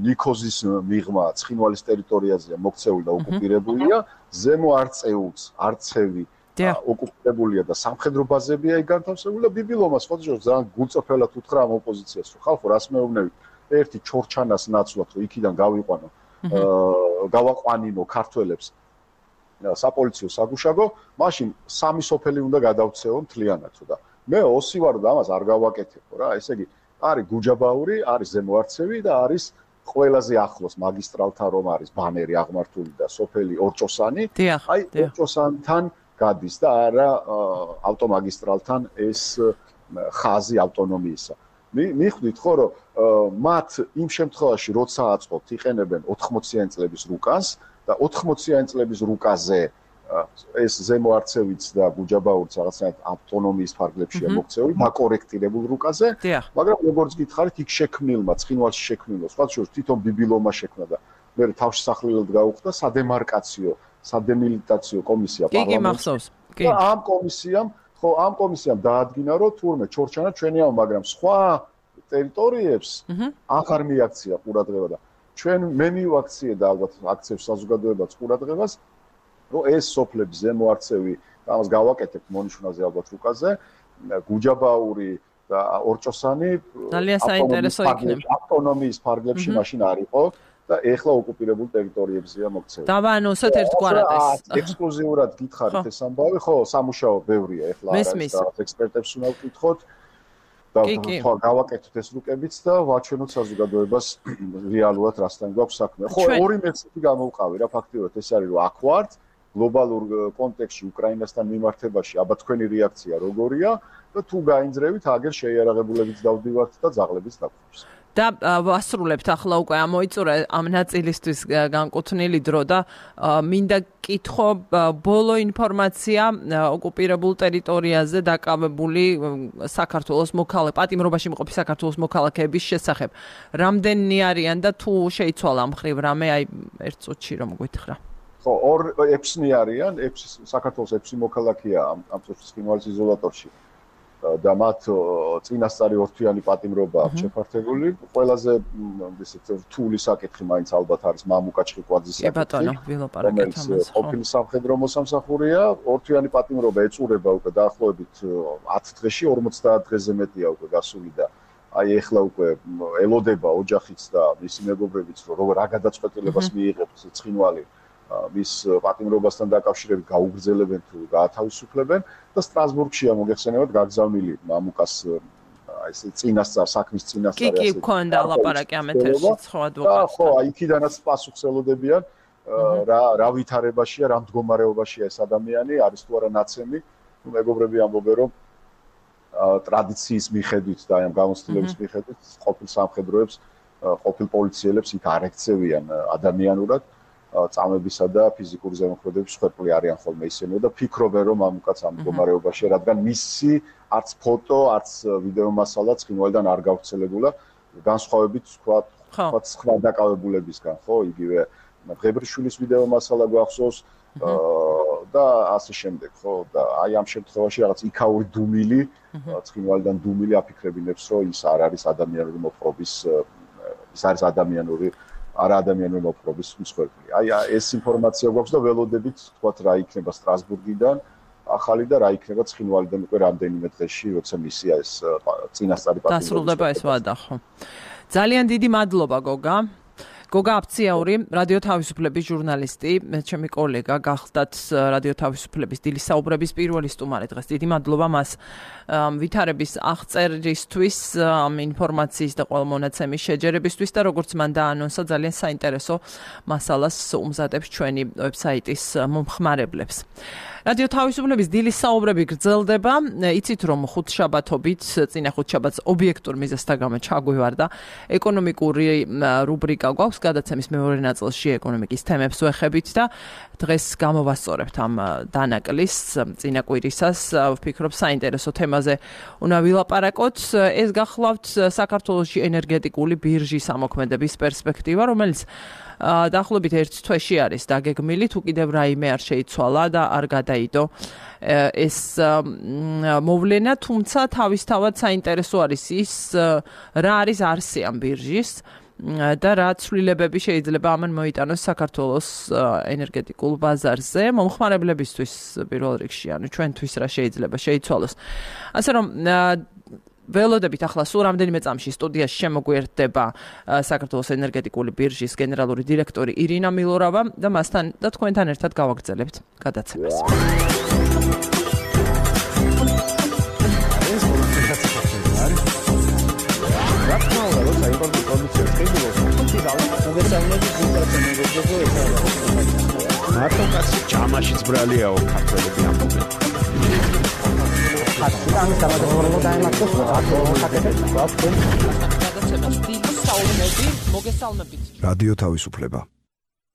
ნიქოზის მიღმა ცხინვალის ტერიტორიაზეა მოქცეული და ოკუპირებულია, ზემო არწეუც, არცევი ოკუპირებულია და სამხედრო ბაზებია იქ განთავსებული და ბიბილოვმა სხვა ძალიან გულწრფელად უთხრა ამ ოპოზიციას, რომ ხალხო რას მეუბნებით, ერთი ჩორჩანას ნაცვლად, რომ იქიდან გავიყვანო, გავაყვანინო ქართველებს საპოლიციო საგუშაგო, მაშინ სამი სოფელი უნდა გადავცეო მთლიანად და მე ოსი ვარ და ამას არ გავაკეთებო რა, ესე იგი არის გუჯაბაური, არის ზემო არცევი და არის ყველაზე ახლოს მაგისტრალთან რომ არის ბანერი აღმართული და სოფელი ორჭოსანი, აი ორჭოსანთან გადის და არა ავტომაგისტრალთან ეს ხაზი ავტონომიისა. მიხვდით ხო რომ მათ იმ შემთხვევაში როცა აწყობთ იყენებენ ოთხმოციანი წლების რუკას და ოთხმოციანი წლების რუკაზე ეს ზემო არცევიც და გუჯაბაურიც რაღაცნაირად ავტონომიის ფარგლებშია მოქცეული დაკორექტირებულ რუკაზე, მაგრამ როგორც გითხარით იქ შექმნილმა ცხინვალში შექმნილმა სხვა შორის თვითონ ბიბილოვმა შექმნა და მე თავშესახლილად გაუხდა სადემარკაციო სადემილიტაციო კომისია პარლამენტში. კი, ამ კომისიამ, ხო, ამ კომისიამ დაადგინა, რომ თურმე ჩორჩანა ჩვენია, მაგრამ სხვა ტერიტორიებს აღარ მიაქცია ყურადღება და ჩვენ მე მივაქციე და ალბათ აქცევს საზოგადოებაც ყურადღებას, რომ ეს სოფლები ზემო არცევი, ამას გავაკეთებთ მონიშნაზე ალბათ რუკაზე, გუჯაბაური და ორჭოსანი ძალიან საინტერესო იქნება. ავტონომიის ფარგლებში მაშინ არ იყო. და ეხლა ოკუპირებულ ტერიტორიებზეა მოქცეული. და ანუ ასეთ ერთგვარად ეს ექსკლუზიურად გითხარით ეს ამბავი, ხო, სამუშაო ბევრია ეხლა არის და ექსპერტებს უნდა ვკითხოთ. და გავაკეთოთ ეს რუკებიც და ვაჩვენოთ საზოგადოებას რეალურად რასთან გვაქვს საქმე. ხო, ორი მეცნიერი გამოვყავი რა ფაქტიურად ეს არის რომ აქ ვართ გლობალურ კონტექსტში უკრაინასთან მიმართებაში აბა თქვენი რეაქცია როგორია და თუ გაინძრევით აგერ შეიარაღებულებიც დავდივართ და ძაღლებიც დაგხვევს. და ვასრულებთ ახლა უკვე ამოიწურა ამ ნაწილისთვის განკუთვნილი დრო და მინდა კითხო ბოლო ინფორმაცია ოკუპირებულ ტერიტორიაზე დაკავებული საქართველოს მოქალაქე პატიმრობაში მყოფი საქართველოს მოქალაქეების შესახებ. რამდენნი არიან და თუ შეიცვალა ამ ხრივ რამე აი ერთ წუთში რომ გითხრა. ხო, ორ ექვსი არიან, ექვსი საქართველოს ექვსი მოქალაქეა ამ ამ წუთის ცხინვალის იზოლატორში. და მათ წინასწარი ორთვიანი პატიმრობა აქვს შეფართებული. ყველაზე ისეთ რთული საკითხი მაინც ალბათ არის მამუკა ჩხიკვაძის საკითხი. კი ბატონო, ვილაპარაკეთ ამაზე. ყოფილი სამხედრო მოსამსახურეა, ორთვიანი პატიმრობა ეწურება უკვე დაახლოებით ათ დღეში, ორმოცდაათ დღეზე მეტია უკვე გასული და აი ეხლა უკვე ელოდება ოჯახიც და მისი მეგობრებიც რომ რა გადაწყვეტილებას მიიღებს ცხინვალი მის პატიმრობასთან დაკავშირებით გაუგრძელებენ თუ გაათავისუფლებენ და სტრასბურგშია მოგეხსენებათ გაგზავნილი მამუკას აი ეს წინასწარ საქმის წინასწარ ასე კი კი ქონდა ლაპარაკი ამ ეთერში ხო ადვოკატს ხო აი იქიდანაც პასუხს ელოდებიან რა რა ვითარებაშია რა მდგომარეობაშია ეს ადამიანი არის თუ არა ნაცემი ნუ მეგობრები ამბობენ რომ ტრადიციის მიხედვით და აი ამ გამოცდილების მიხედვით ყოფილ სამხედროებს ყოფილ პოლიციელებს იქ არ ექცევიან ადამიანურად წამებისა და ფიზიკური ზემოქმედების შეხვედრილი არიან ხოლმე ისინი და ფიქრობენ რომ ამ უკაც ამ მდგომარეობაში რადგან მისი არც ფოტო, არც ვიდეო მასალა ცხინვალიდან არ გავრცელებულა განსხვავებით თქვა თქვა სხვა დაკავებულებისგან ხო იგივე ღებრიშვილის ვიდეო მასალა გვახსოვს და ასე შემდეგ ხო და აი ამ შემთხვევაში რაღაც იქაური დუმილი ცხინვალიდან დუმილი აფიქრებინებს რომ ის არ არის ადამიანური მოპყრობის ის არის ადამიანური არა ადამიანური მოპყრობის მსხვერპლი. აი ეს ინფორმაცია გვაქვს და ველოდებით თქვათ რა იქნება სტრასბურგიდან ახალი და რა იქნება ცხინვალიდან უკვე რამდენიმე დღეში როცა მისია ეს წინასწარი პატიმრობა. დასრულდება ეს ვადა ხო. ძალიან დიდი მადლობა გოგა. გოგა აფციაური, რადიო თავისუფლების ჟურნალისტი, მე ჩემი კოლეგა გახდათ რადიო თავისუფლების დილის საუბრების პირველი სტუმარი დღეს. დიდი მადლობა მას ვითარების აღწერისთვის, ამ ინფორმაციის და ყველა მონაცემის შეჯერებისთვის და როგორც მან დაანონსა, ძალიან საინტერესო მასალას უმზადებს ჩვენი ვებსაიტის მომხმარებლებს. რადიო თავისუფლების დილის საუბრები გრძელდება. იცით რომ ხუთშაბათობით, წინა ხუთშაბათს ობიექტურ მიზეზთა გამო ჩაგვივარდა ეკონომიკური რუბრიკა გვაქვს გადაცემის მეორე ნაწილში ეკონომიკის თემებს ვეხებით და დღეს გამოვასწორებთ ამ დანაკლის წინა კვირისას. ვფიქრობ საინტერესო თემაზე უნდა ვილაპარაკოთ. ეს გახლავთ საქართველოში ენერგეტიკული ბირჟის ამოქმედების პერსპექტივა, რომელიც დაახლოებით ერთ თვეში არის დაგეგმილი, თუ კიდევ რაიმე არ შეიცვალა და არ გადაიდო ეს მოვლენა, თუმცა თავისთავად საინტერესო არის ის, რა არის არსი ამ ბირჟის და რა ცვლილებები შეიძლება ამან მოიტანოს საქართველოს ენერგეტიკულ ბაზარზე, მომხმარებლებისთვის პირველ რიგში, ანუ ჩვენთვის რა შეიძლება შეიცვალოს. ასე რომ ველოდებით ახლა სულ რამდენიმე წამში სტუდიაში შემოგვიერთდება საქართველოს ენერგეტიკული ბირჟის გენერალური დირექტორი ირინა მილორავა და მასთან და თქვენთან ერთად გავაგრძელებთ გადაცემას. მარტო კაცი ჯამაშიც ბრალიაო ქართველები ამბობენ. ამის დამატებულად დაემართოს გადაცემას დილის საუბრები მოგესალმებით. რადიო თავისუფლება.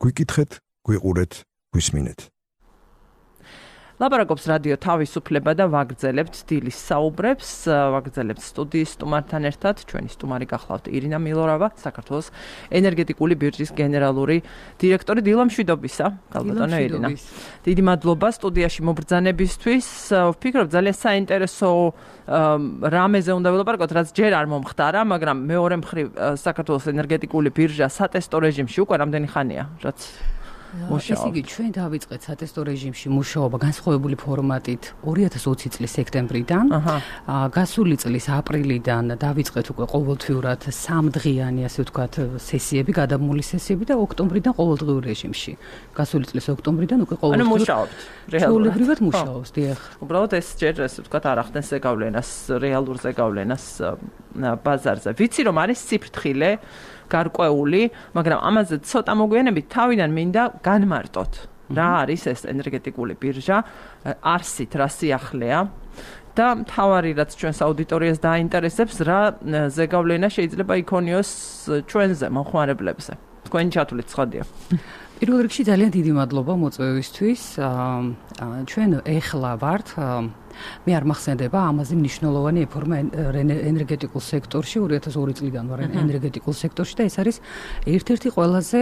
გვიკითხეთ, გვიყურეთ, გვისმინეთ. ლაპარაკობს რადიო თავისუფლება და ვაგრძელებთ დილის საუბრებს, ვაგრძელებთ სტუდიის სტუმართან ერთად. ჩვენი სტუმარი გახლავთ ირინა მილორავა, საქართველოს ენერგეტიკული ბირჟის გენერალური დირექტორი. დილამშვიდობისა, გალბატონო ირინა. დიდი მადლობა სტუდიაში მობრძანებისთვის. ვფიქრობ ძალიან საინტერესო რამეზე უნდა ვილაპარაკოთ, რაც ჯერ არ მომხდარა, მაგრამ მეორე მხრივ საქართველოს ენერგეტიკული ბირჟა სატესტო რეჟიმში უკვე რამდენი ხანია, რაც მუშაობთ. ესე იგი, ჩვენ დავიწყეთ სატესტო რეჟიმში მუშაობა განსხვავებული ფორმატით ორი ათას ოცი წლის სექტემბრიდან. გასული წლის აპრილიდან დავიწყეთ უკვე ყოველთვიურად სამდღიანი, ასე ვთქვათ, სესიები, გადამული სესიები და ოქტომბრიდან ყოველდღიურ რეჟიმში. გასული წლის ოქტომბრიდან უკვე ყოველდღიურ. ანუ მუშაობთ. რეალურად მუშაობს, დიახ. უბრალოდ ეს ჯერ ასე ვთქვათ არ ახდენს ზეგავლენას, რეალურ ზეგავლენას ბაზარზე. ვიცი რომ არის ციფრთხილე გარკვეული, მაგრამ ამაზე ცოტა მოგვიანებით თავიდან მინდა განმარტოთ. რა არის ეს ენერგეტიკული ბირჟა, არსით რა სიახლეა და მთავარი რაც ჩვენს აუდიტორიას დაინტერესებს, რა ზეგავლენა შეიძლება იქონიოს ჩვენზე მომხმარებლებზე. თქვენი ჩათვლით ცხადია. პირველ რიგში ძალიან დიდი მადლობა მოწვევისთვის. ჩვენ ეხლა ვართ მე არ მახსენდება ამაზე მნიშვნელოვანი რეფორმა ენერგეტიკულ სექტორში ორი ათას ორი წლიდან ვარ ენერგეტიკულ სექტორში და ეს არის ერთ-ერთი ყველაზე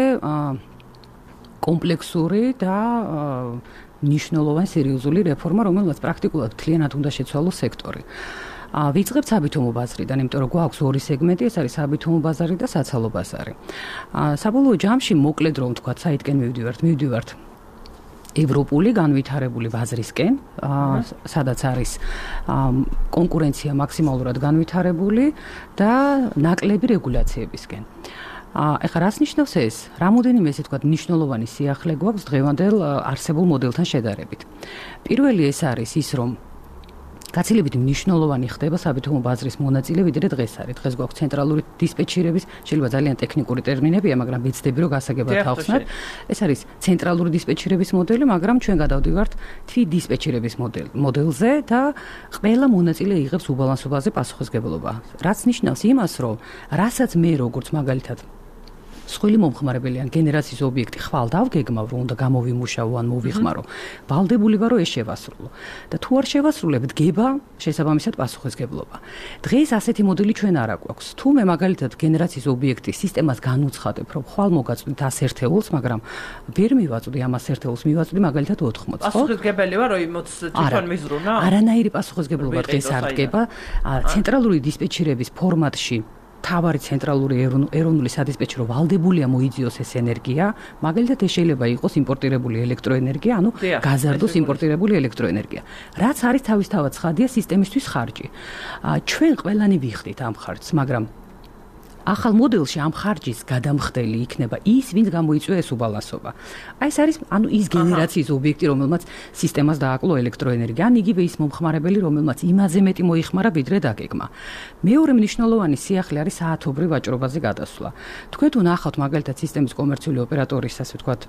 კომპლექსური და მნიშვნელოვანი სერიოზული რეფორმა, რომელსაც პრაქტიკულად მთლიანად უნდა შეცვალოს სექტორი. ვიწყებთ საბითუმო ბაზრიდან, იმიტომ რომ გვაქვს ორი სეგმენტი, ეს არის საბითუმო ბაზარი და საცალო ბაზარი. საბოლოო ჯამში მოკლედ რომ ვთქვათ, საითკენ მივდივართ, მივდივართ ევროპული განვითარებული ბაზრისკენ, სადაც არის კონკურენცია მაქსიმალურად განვითარებული და ნაკლები რეგულაციებისკენ. ეხლა რას ნიშნავს ეს? რამოდენიმე ესე ვთქვათ მნიშვნელოვანი სიახლე გვაქვს დღევანდელ არსებულ მოდელთან შედარებით. პირველი ეს არის ის, რომ გაცილებით მნიშვნელოვანი ხდება საბითუმო ბაზრის მონაწილე, ვიდრე დღეს არის. დღეს გვაქვს ცენტრალური დისპეჩერების, შეიძლება ძალიან ტექნიკური ტერმინებია, მაგრამ ვიცდები რომ გასაგებად თავხსნათ. ეს არის ცენტრალური დისპეჩერების მოდელი, მაგრამ ჩვენ გადავდივართ თვი დისპეჩერების მოდელზე და ყველა მონაწილე იღებს უბალანსობაზე პასუხისმგებლობა. რაც ნიშნავს იმას, რომ რასაც მე როგორც მაგალითად სხვილი მომხმარებელი ან გენერაციის ობიექტი ხვალ დავგეგმავ, რომ უნდა გამოვიმუშავო ან მოვიხმარო, ვალდებული ვარო ეს შევასრულო. და თუ არ შევასრულებ, დგება შესაბამისად პასუხისმგებლობა. დღეს ასეთი მოდელი ჩვენ არ აქვს. თუ მე მაგალითად გენერაციის ობიექტი სისტემას განუცხადებ, რომ ხვალ მოგაწვდით ას ერთეულს, მაგრამ ვერ მივაწვდი ამ ას ერთეულს, მივაწვდი მაგალითად ოთხმოცს. პასუხისმგებელი ვარ, რომ იმოც თვითონ მიზრუნა? არანაირი პასუხისმგებლობა დღეს არ დგება. ცენტრალური დისპეჩერების ფორმატში თავარი ცენტრალური ეროვნული სადისპეჩერო ვალდებულია მოიძიოს ეს ენერგია, მაგალითად ეს შეიძლება იყოს იმპორტირებული ელექტროენერგია, ანუ გაზარდოს იმპორტირებული ელექტროენერგია. რაც არის თავისთავად ცხადია სისტემისთვის ხარჯი. ჩვენ ყველანი ვიხდით ამ ხარჯს, მაგრამ ახალ მოდელში ამ ხარჯის გადამხდელი იქნება ის, ვინც გამოიწვია ეს უბალანსობა. აი ეს არის ანუ ის გენერაციის ობიექტი, რომელმაც სისტემას დააკლო ელექტროენერგია, ან იგივე ის მომხმარებელი, რომელმაც იმაზე მეტი მოიხმარა, ვიდრე დაგეგმა. მეორე მნიშვნელოვანი სიახლე არის საათობრივ ვაჭრობაზე გადასვლა. თქვენ თუ ნახავთ მაგალითად სისტემის კომერციული ოპერატორის, ასე ვთქვათ,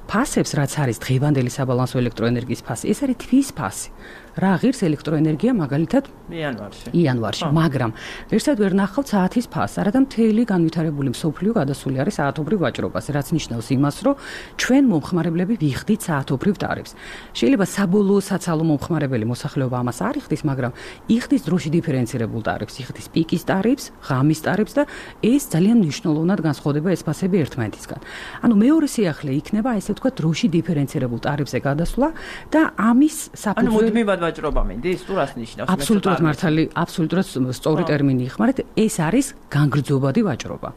ფასებს, რაც არის დღევანდელი საბალანსო ელექტროენერგიის ფასი, ეს არის თვის ფასი. რა ღირს ელექტროენერგია მაგალითად იანვარში. იანვარში, მაგრამ ვერსად ვერ ნახავთ საათის ფასს, არადა მთელი განვითარებული მსოფლიო გადასული არის საათობრივ ვაჭრობაზე, რაც ნიშნავს იმას, რომ ჩვენ მომხმარებლები ვიხდით საათობრივ ტარიფს. შეიძლება საბოლოო საცალო მომხმარებელი მოსახლეობა ამას არ იხდის, მაგრამ იხდის დროში დიფერენცირებულ ტარიფს, იხდის პიკის ტარიფს, ღამის ტარიფს და ეს ძალიან მნიშვნელოვნად განსხვავდება ეს ფასები ერთმანეთისგან. ანუ მეორე სიახლე იქნება, ესე ვთქვათ, დროში დიფერენცირებულ ტარიფზე გადასვლა და ამის საფუძველი ანუ მუდმივად ვაჭრობა მინდის, თუ რას ნიშნავს? აბსოლუტურად მართალი, აბსოლუტურად სწორი ტერმინი იხმარეთ, ეს არის განგრძობადი ვაჭრობა.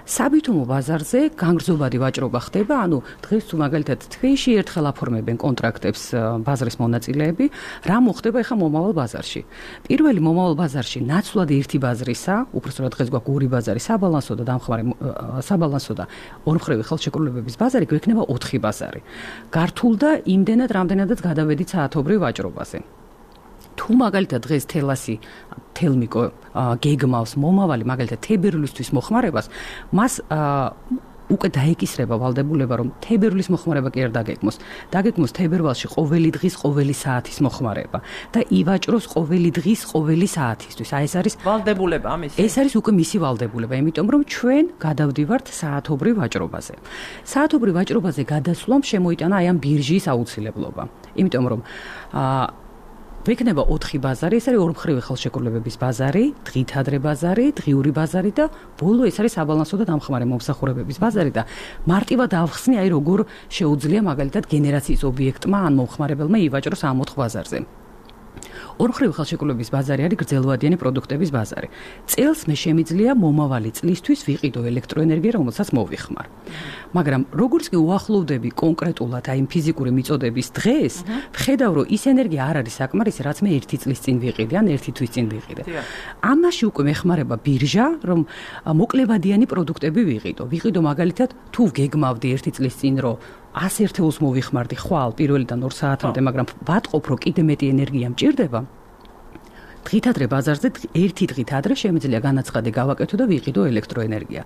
საბითუმო ბაზარზე განგრძობადი ვაჭრობა ხდება, ანუ დღეს თუ მაგალითად თვეში ერთხელ აფორმებენ კონტრაქტებს ბაზრის მონაწილეები, რა მოხდება ახლა მომავალ ბაზარში? პირველი მომავალ ბაზარში ნაცვლად ერთი ბაზრისა, უბრალოდ დღეს გვაქვს ორი ბაზარი, საბალანსო და დამხმარე საბალანსო და ორმხრივი ხელშეკრულებების ბაზარი, გვექნება ოთხი ბაზარი. გართულ და იმდენად, რამდენადაც გადავედით საათობრივ ვაჭრობაზე. თუ მაგალითად დღეს თელასი თელმიკო გეგმავს მომავალი მაგალითად თებერვლისთვის მოხმარებას, მას უკვე დაეკისრება ვალდებულება, რომ თებერვლის მოხმარება კი არ დაგეგმოს. დაგეგმოს თებერვალში ყოველი დღის, ყოველი საათის მოხმარება და ივაჭროს ყოველი დღის, ყოველი საათისთვის. აი ეს არის ვალდებულება ამისი. ეს არის უკვე მისი ვალდებულება, იმიტომ რომ ჩვენ გადავდივართ საათობრივ ვაჭრობაზე. საათობრივ ვაჭრობაზე გადასვლამ შემოიტანა აი ამ ბირჟის აუცილებლობა. იმიტომ რომ აა ვექნება ოთხი ბაზარი, ეს არის ორმხრივი ხელშეკრულებების ბაზარი, დღითადრე ბაზარი, დღიური ბაზარი და ბოლო ეს არის საბალანსო და დამხმარე მომსახურებების ბაზარი და მარტივად ავხსნი, აი როგორ შეუძლია მაგალითად გენერაციის ობიექტმა ან მომხმარებელმა ივაჭროს ამ ოთხ ბაზარზე. ორმხრივი ხელშეკრულების ბაზარი არის გრძელვადიანი პროდუქტების ბაზარი. წელს მე შემიძლია მომავალი წლისთვის ვიყიდო ელექტროენერგია, რომელსაც მოვიხმარ. მაგრამ როგორც კი უახლოვდები კონკრეტულად აი ფიზიკური მიწოდების დღეს, ვხედავ, რომ ის ენერგია არ არის საკმარისი, რაც მე ერთი წლის წინ ვიყიდე, ან ერთი თვის წინ ვიყიდე. ამაში უკვე მეხმარება ბირჟა, რომ მოკლებადიანი პროდუქტები ვიყიდო. ვიყიდო მაგალითად, თუ გეგმავდი ერთი წლის წინ, რომ ას ერთეულს მოვიხმარდი ხვალ პირველიდან ორ საათამდე, მაგრამ ვატყობ, რომ კიდე მეტი ენერგია მჭირდება. დღით ადრე ბაზარზე ერთი დღით ადრე შემიძლია განაცხადი გავაკეთო და ვიყიდო ელექტროენერგია.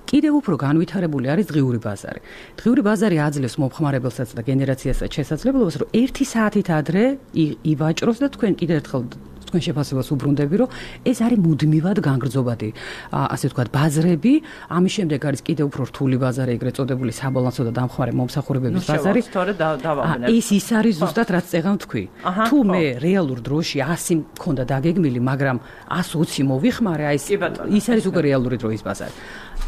კიდევ უფრო განვითარებული არის დღიური ბაზარი. დღიური ბაზარი აძლევს მომხმარებელსაც და გენერაციასაც შესაძლებლობას, რომ ერთი საათით ადრე ივაჭროს და თქვენ კიდევ ერთხელ თქვენ შეფასებას უბრუნდები, რომ ეს არის მუდმივად განგრძობადი, ასე ვთქვათ, ბაზრები. ამის შემდეგ არის კიდევ უფრო რთული ბაზარი, ეგრეთ წოდებული საბალანსო და დამხმარე მომსახურებების ბაზარი. ეს ის არის ზუსტად რაც წეღან თქვი. თუ მე რეალურ დროში ასი მქონდა დაგეგმილი, მაგრამ ას ოცი მოვიხმარე, აი ეს ის არის უკვე რეალური დროის ბაზარი.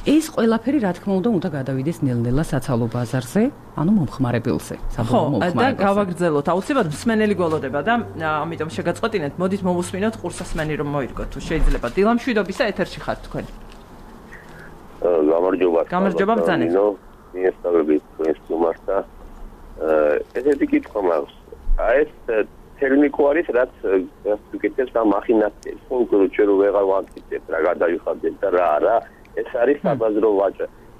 ეს ყველაფერი რა თქმა უნდა უნდა გადავიდეს ნელ-ნელა საცალო ბაზარზე, ანუ მომხმარებელზე, საბოლოო მომხმარებელზე. და გავაგრძელოთ. აუცილებლად მსმენელი გველოდება და ამიტომ შეგაწყვეტინეთ, მოდით მოვუსმინოთ ყურსასმენი რომ მოირგოთ, თუ შეიძლება. დილა მშვიდობისა ეთერში ხართ თქვენ. გამარჯობა. გამარჯობა ბრძანეთ. მიესწავლებით თქვენს სტუმართა. ესეთი კითხვა მაქვს. აი ეს თერმიკო არის, რაც გეკეთებს ამ მახინაციას. კონკრეტულად ჩვენ ვეღარ ვაკეთებთ რა გადავიხადეთ და რა არა. ეს არის საბაზრო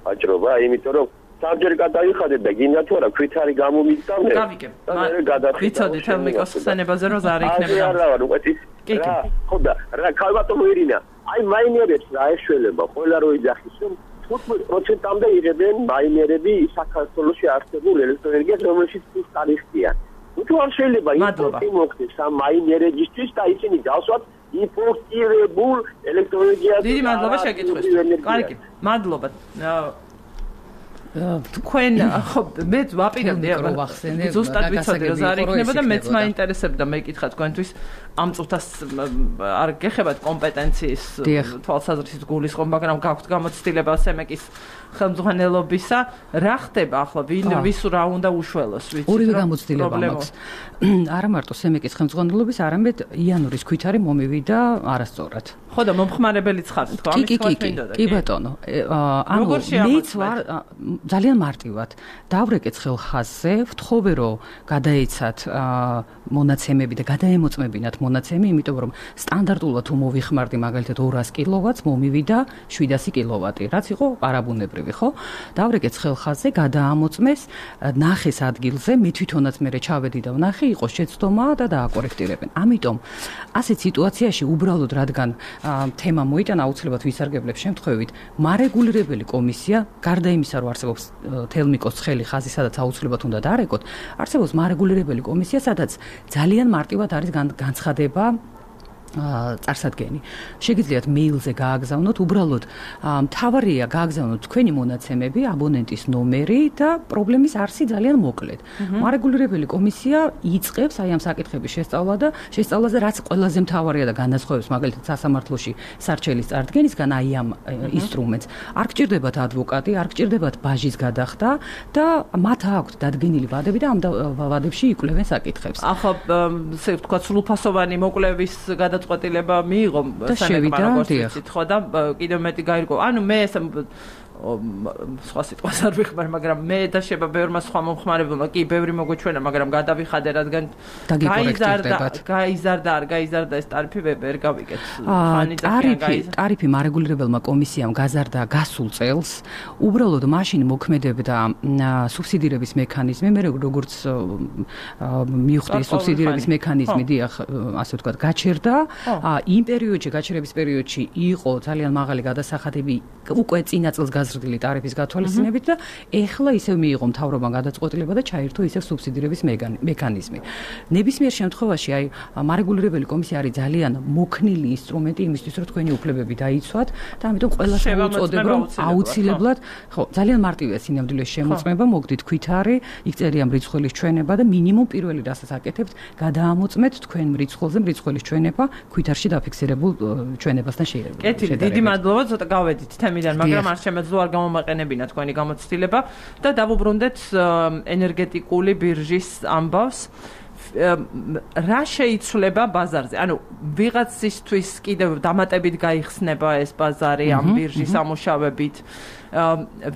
ვაჭრობა, იმიტომ რომ საბჯერ გადავიხადეთ და გინდა თუ არა ქვითარი გამომიწდა მე. გავიგებ. ვიცოდით თელმიკოს ხსენებაზე რომ ზარი იქნება. არა, არა, უკვე ის რა, ხო და რა ქალბატონო ირინა, აი მაინერებს რა ეშველება, ყველა რო იძახის, რომ თხუთმეტ პროცენტამდე იღებენ მაინერები საქართველოში არსებულ ელექტროენერგიას, რომელშიც ის ტარიფია. თუ არ შეიძლება იმპორტი მოხდეს ამ მაინერებისთვის და ისინი დავსვათ იმპორტირებულ ელექტროენერგიას. დიდი მადლობა შეკითხვისთვის. კარგი, მადლობა. თქვენ ხო მე ვაპირებდი ზუსტად ვიცოდი რომ ზარი იქნება და მეც მაინტერესებდა მეკითხა თქვენთვის ამ წუთას არ გეხებათ კომპეტენციის თვალსაზრისით გულისხმობა, მაგრამ გაქვთ გამოცდილება სემეკის ხელმძღვანელობისა. რა ხდება ახლა ვინ ვის რა უნდა უშველოს ვიცით? ორივე გამოცდილება მაქვს. არა მარტო სემეკის ხელმძღვანელობის, არამედ იანურის ქვითარი მომივიდა არასწორად. ხო და მომხმარებელიც ხართ თქო ამის თქვა მინდოდა. კი ბატონო. ანუ მეც ვარ ძალიან მარტივად დავრეკეთ ხელხაზზე, ვთხოვე რომ გადაეცათ მონაცემები და გადაემოწმებინათ მონაცემი, იმიტომ რომ სტანდარტულად თუ მოვიხმარდი მაგალითად ორას კილოვატს, მომივიდა შვიდასი კილოვატი, რაც იყო არაბუნებრივი, ხო? დავრეკეთ ხელხაზზე, გადაამოწმეს, ნახეს ადგილზე, მე თვითონაც მე ჩავედი და ვნახე, იყო შეცდომა და დააკორექტირებენ. ამიტომ ასეთ სიტუაციაში უბრალოდ რადგან თემა მოიტანა, აუცილებლად ვისარგებლებ შემთხვევით, მარეგულირებელი კომისია, გარდა იმისა, რომ არსებობს თელმიკოს ხელი ხაზი, სადაც აუცილებლად უნდა დაარეკოთ, არსებობს მარეგულირებელი კომისია, სადაც ძალიან მარტივად არის განცხადება წარსადგენი. შეგიძლიათ მეილზე გააგზავნოთ, უბრალოდ მთავარია გააგზავნოთ თქვენი მონაცემები, აბონენტის ნომერი და პრობლემის არსი ძალიან მოკლედ. მარეგულირებელი კომისია იწყებს აი ამ საკითხების შესწავლა და შესწავლაზე, რაც ყველაზე მთავარია და განასხვავებს მაგალითად სასამართლოში სარჩელის წარდგენისგან აი ამ ინსტრუმენტს. არ გჭირდებათ ადვოკატი, არ გჭირდებათ ბაჟის გადახდა და მათ აქვთ დადგენილი ვადები და ამ ვადებში იკვლევენ საკითხებს. ახლა ესე ვთქვათ, სრულფასოვანი მოკვლევის გადაწყვეტილება მიიღო სანაკმა როგორც ვიცით, ხო და კიდევ მეტი გაირკვა. ანუ მე ეს სხვა სიტყვას არ ვიხმარ, მაგრამ მე და შეება ბევრმა სხვა მომხმარებელმა კი ბევრი მოგვეჩვენა, მაგრამ გადავიხადე, რადგან გაიზარდა, გაიზარდა, არ გაიზარდა ეს ტარიფი ვერ გავიგეთ. ტარიფი, ტარიფი მარეგულირებელმა კომისიამ გაზარდა გასულ წელს, უბრალოდ მაშინ მოქმედებდა სუბსიდირების მექანიზმი, მე როგორც მივხვდი სუბსიდირების მექანიზმი, დიახ, ასე ვთქვათ, გაჩერდა. იმ პერიოდში, გაჩერების პერიოდში იყო ძალიან მაღალი გადასახადები უკვე წინა წელს გაზრდილი ტარიფის გათვალისწინებით და ეხლა ისევ მიიღო მთავრობამ გადაწყვეტილება და ჩაირთო ისევ სუბსიდირების მექანიზმი. ნებისმიერ შემთხვევაში აი მარეგულირებელი კომისია არის ძალიან მოქნილი ინსტრუმენტი იმისთვის, რომ თქვენი უფლებები დაიცვათ და ამიტომ ყველას მოუწოდებ, რომ აუცილებლად, ხო, ძალიან მარტივია სინამდვილეში შემოწმება, მოგდით ქვითარი, იქ წერია მრიცხველის ჩვენება და მინიმუმ პირველი რასაც აკეთებთ, გადაამოწმეთ თქვენ მრიცხველზე მრიცხველის ჩვენება ქვითარში დაფიქსირებულ ჩვენებასთან შეიძლება. კეთილი, დიდი მადლობა, ცოტა გავედით თემიდან, მაგრამ არ შემეძლო არ გამომაყენებინა თქვენი გამოცდილება და დავუბრუნდეთ ენერგეტიკული ბირჟის ამბავს. რა შეიცვლება ბაზარზე? ანუ ვიღაცისთვის კიდევ დამატებით გაიხსნება ეს ბაზარი ამ ბირჟის სამუშაოებით.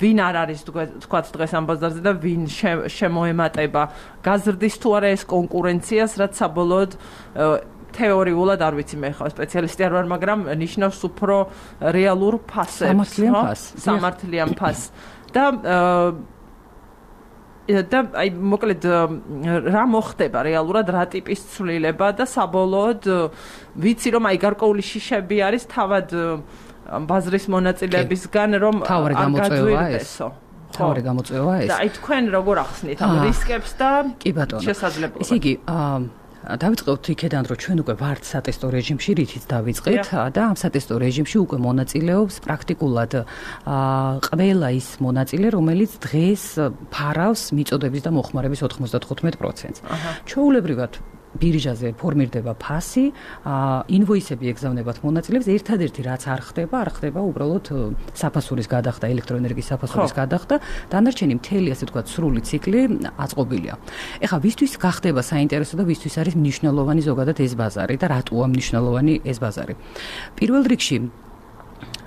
ვინ არ არის თქვათ დღეს ამ ბაზარზე და ვინ შემოემატება? გაზრდის თუ არა ეს კონკურენციას, რაც საბოლოოდ თეორიულად არ ვიცი მე ხარ სპეციალისტი არ ვარ, მაგრამ ნიშნავს უფრო რეალურ ფასებს, სამართლიან ფასს. და და აი მოკლედ რა მოხდება რეალურად, რა ტიპის ცვლილება და საბოლოოდ ვიცი რომ აი გარკვეული შიშები არის თავად ბაზრის მონაწილეებისგან რომ გაგაძვირდესო. თავი გამოწვევა ეს. და აი თქვენ როგორ ახსნით ამ რისკებს და შესაძლებლობებს? ესე იგი დავიწყოთ იქედან რომ ჩვენ უკვე ვართ სატესტო რეჟიმში, რითიც დავიწყეთ და ამ სატესტო რეჟიმში უკვე მონაწილეობს პრაქტიკულად ყველა ის მონაწილე, რომელიც დღეს ფარავს მიწოდების და მოხმარების ოთხმოცდათხუთმეტ პროცენტს. ჩვეულებრივად ბირჟაზე ფორმირდება ფასი, ინვოისები ეგზავნებათ მონაწილეებს, ერთადერთი რაც არ ხდება, არ ხდება უბრალოდ საფასურის გადახდა, ელექტროენერგიის საფასურის გადახდა, დანარჩენი მთელი ასე ვთქვათ სრული ციკლი აწყობილია. ეხლა ვისთვის გახდება საინტერესო და ვისთვის არის მნიშვნელოვანი ზოგადად ეს ბაზარი და რატოა მნიშვნელოვანი ეს ბაზარი? პირველ რიგში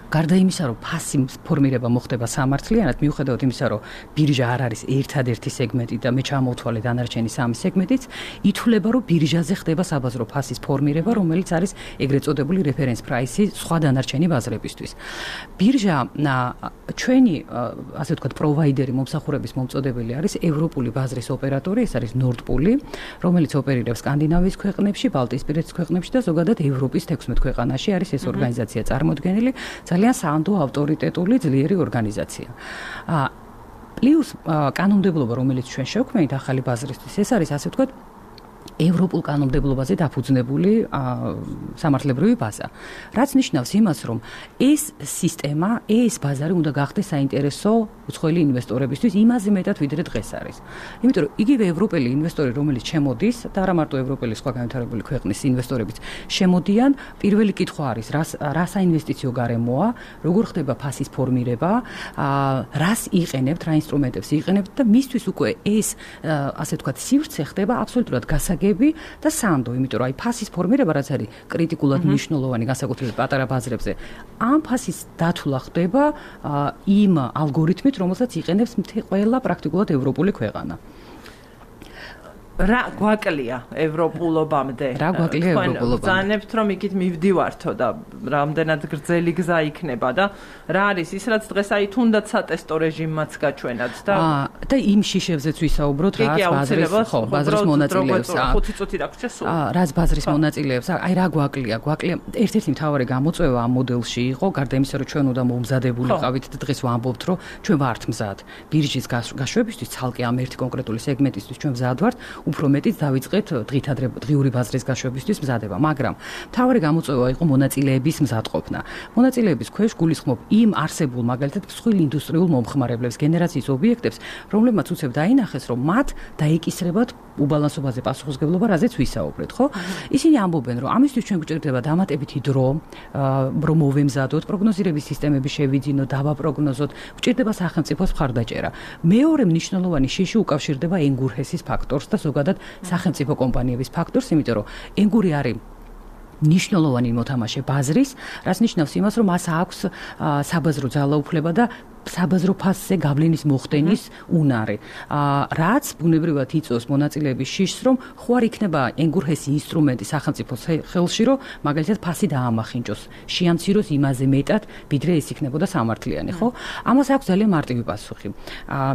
გარდა იმისა, რომ ფასი ფორმირება მოხდება სამართლიანად, მიუხედავად იმისა, რომ ბირჟა არ არის ერთადერთი სეგმენტი და მე ჩამოვთვალე დანარჩენი სამი სეგმენტიც, ითვლება, რომ ბირჟაზე ხდება საბაზრო ფასის ფორმირება, რომელიც არის ეგრეთ წოდებული რეფერენს პრაისი სხვა დანარჩენი ბაზრებისთვის. ბირჟა ჩვენი, ასე ვთქვათ, პროვაიდერი, მომსახურების მომწოდებელი არის ევროპული ბაზრის ოპერატორი, ეს არის ნორდპული, რომელიც ოპერირებს სკანდინავიის ქვეყნებში, ბალტიისპირეთის ქვეყნებში და ზოგადად ევროპის თექვსმეტ ქვეყანაში არის ეს ორგანიზაცია წარმოდგენილი. ძალიან საანდო ავტორიტეტული ძლიერი ორგანიზაცია. პლუს კანონმდებლობა, რომელიც ჩვენ შევქმნით ახალი ბაზრისთვის, ეს არის ასე ვთქვათ ევროპულ კანონმდებლობაზე დაფუძნებული სამართლებრივი ბაზა. რაც ნიშნავს იმას, რომ ეს სისტემა, ეს ბაზარი უნდა გახდეს საინტერესო უცხოელი ინვესტორებისთვის იმაზე მეტად, ვიდრე დღეს არის. იმიტომ რომ იგივე ევროპელი ინვესტორი, რომელიც შემოდის და არა მარტო ევროპელი, სხვა განვითარებული ქვეყნის ინვესტორებიც შემოდიან, პირველი კითხვა არის, რა საინვესტიციო გარემოა, როგორ ხდება ფასის ფორმირება, რას იყენებთ, რა ინსტრუმენტებს იყენებთ და მისთვის უკვე ეს ასე ვთქვათ სივრცე ხდება აბსოლუტურად გასაგებია და სანდო, იმიტომ რომ აი ფასის ფორმირება რაც არის კრიტიკულად მნიშვნელოვანი განსაკუთრებით პატარა ბაზრებზე, ამ ფასის დათვლა ხდება იმ ალგორითმით, რომელსაც იყენებს მთელი ყველა პრაქტიკულად ევროპული ქვეყანა. რა გვაკლია ევროპულობამდე? რა გვაკლია ევროპულობამდე? ბრძანებთ რომ იქით მივდივართო და რამდენად გრძელი გზა იქნება და რა არის ის რაც დღეს აი თუნდაც სატესტო რეჟიმმაც გაჩვენათ და და იმ შიშებზეც ვისაუბროთ, რაც ბაზრის ხო, ბაზრის მონაწილეებს. ხუთი წუთი დაგვრჩა სულ. რაც ბაზრის მონაწილეებს, აი რა გვაკლია? გვაკლია ერთ-ერთი მთავარი გამოწვევა ამ მოდელში იყო, გარდა იმისა, რომ ჩვენ უნდა მომზადებულიყავით და დღეს ვამბობთ, რომ ჩვენ ვართ მზად. ბირჟის გაშვებისთვის ცალკე ამ ერთი კონკრეტული სეგმენტისთვის ჩვენ მზად ვართ. უფრო მეტიც დავიწყეთ დღით ადრე დღიური ბაზრის გაშვებისთვის მზადება, მაგრამ მთავარი გამოწვევა იყო მონაწილეების მზადყოფნა. მონაწილეების ქვეშ გულისხმობ იმ არსებულ მაგალითად მსხვილ ინდუსტრიულ მომხმარებლებს, გენერაციის ობიექტებს, რომლებმაც უცებ დაინახეს, რომ მათ დაეკისრებათ უბალანსობაზე პასუხისმგებლობა, რაზეც ვისაუბრეთ, ხო? ისინი ამბობენ, რომ ამისთვის ჩვენ გვჭირდება დამატებითი დრო, რომ მოვემზადოთ, პროგნოზირების სისტემები შევიძინოთ, დავაპროგნოზოთ, გვჭირდება სახელმწიფოს მხარდაჭერა. მეორე მნიშვნელოვანი შიში უკავშირდება ენგურჰესის ფაქტორს და ზოგადად სახელმწიფო კომპანიების ფაქტორს, იმიტომ რომ ენგური არის ნიშნულოვანი მოთამაშე ბაზრის, რაც ნიშნავს იმას, რომ მას აქვს საბაზრო ძალაუფლება და საბაზრო ფასზე გავლენის მოხდენის უნარი. რაც ბუნებრივად იწვევს მონაწილეების შიშს, რომ ხო არ იქნება ენგურჰესი ინსტრუმენტი სახელმწიფოს ხელში, რომ მაგალითად ფასი დაამახინჯოს, შეამციროს იმაზე მეტად, ვიდრე ეს იქნებოდა სამართლიანი, ხო? ამას აქვს ძალიან მარტივი პასუხი.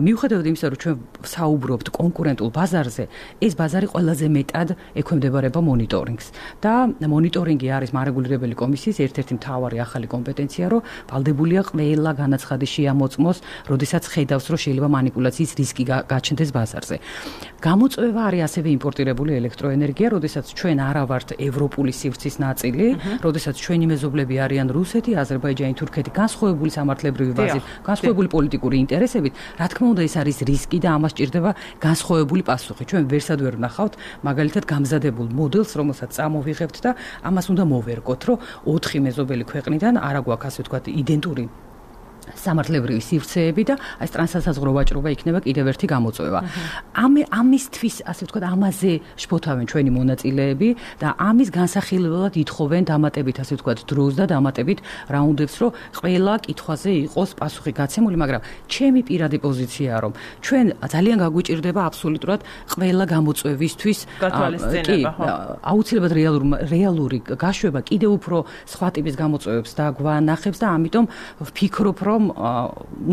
მიუხედავად იმისა, რომ ჩვენ საუბრობთ კონკურენტულ ბაზარზე, ეს ბაზარი ყველაზე მეტად ექვემდებარება მონიტორინგს და მონიტორინგი არის მარეგულირებელი კომისიის ერთ-ერთი მთავარი ახალი კომპეტენცია, რომ ვალდებულია ყველა განაცხადი მოწმოს, როდესაც ხედავს, რომ შეიძლება манипуляციის რისკი გაჩნდეს ბაზარზე. გამოწვევა არის ასევე იმპორტირებული ელექტროენერგია, როდესაც ჩვენ არა ვართ ევროპული სივრცის ნაწილი, როდესაც ჩვენი მეზობლები არიან რუსეთი, აზერბაიჯანი, თურქეთი, განსხვავებული სამართლებრივი ბაზით, განსხვავებული პოლიტიკური ინტერესებით, რა თქმა უნდა, ეს არის რისკი და ამას ჭირდება განსხვავებული პასუხი. ჩვენ ვერსად ვერ ვნახავთ მაგალითად გამზადებულ მოდელს, რომელსაც წამოვიღებთ და ამას უნდა მოვერგოთ, რომ ოთხი მეზობელი ქვეყნიდან არა გვაქვს ასე ვთქვათ იდენტური სამართლებრივი სივრცეები და აი ეს ტრანსსაზღვრო ვაჭრობა იქნება კიდევ ერთი გამოწვევა. ამ ამისთვის ასე ვთქვათ ამაზე შფოთავენ ჩვენი მონაწილეები და ამის განსახილველად ითხოვენ დამატებით ასე ვთქვათ დროს და დამატებით რაუნდებს, რომ ყველა კითხვაზე იყოს პასუხი გაცემული, მაგრამ ჩემი პირადი პოზიციაა, რომ ჩვენ ძალიან გაგვიჭირდება აბსოლუტურად ყველა გამოწვევისთვის გათვალისწინება, ხო? აუცილებლად რეალური რეალური გაშვება კიდევ უფრო სხვა ტიპის გამოწვევებს დაგვანახებს და ამიტომ ვფიქრობ, რომ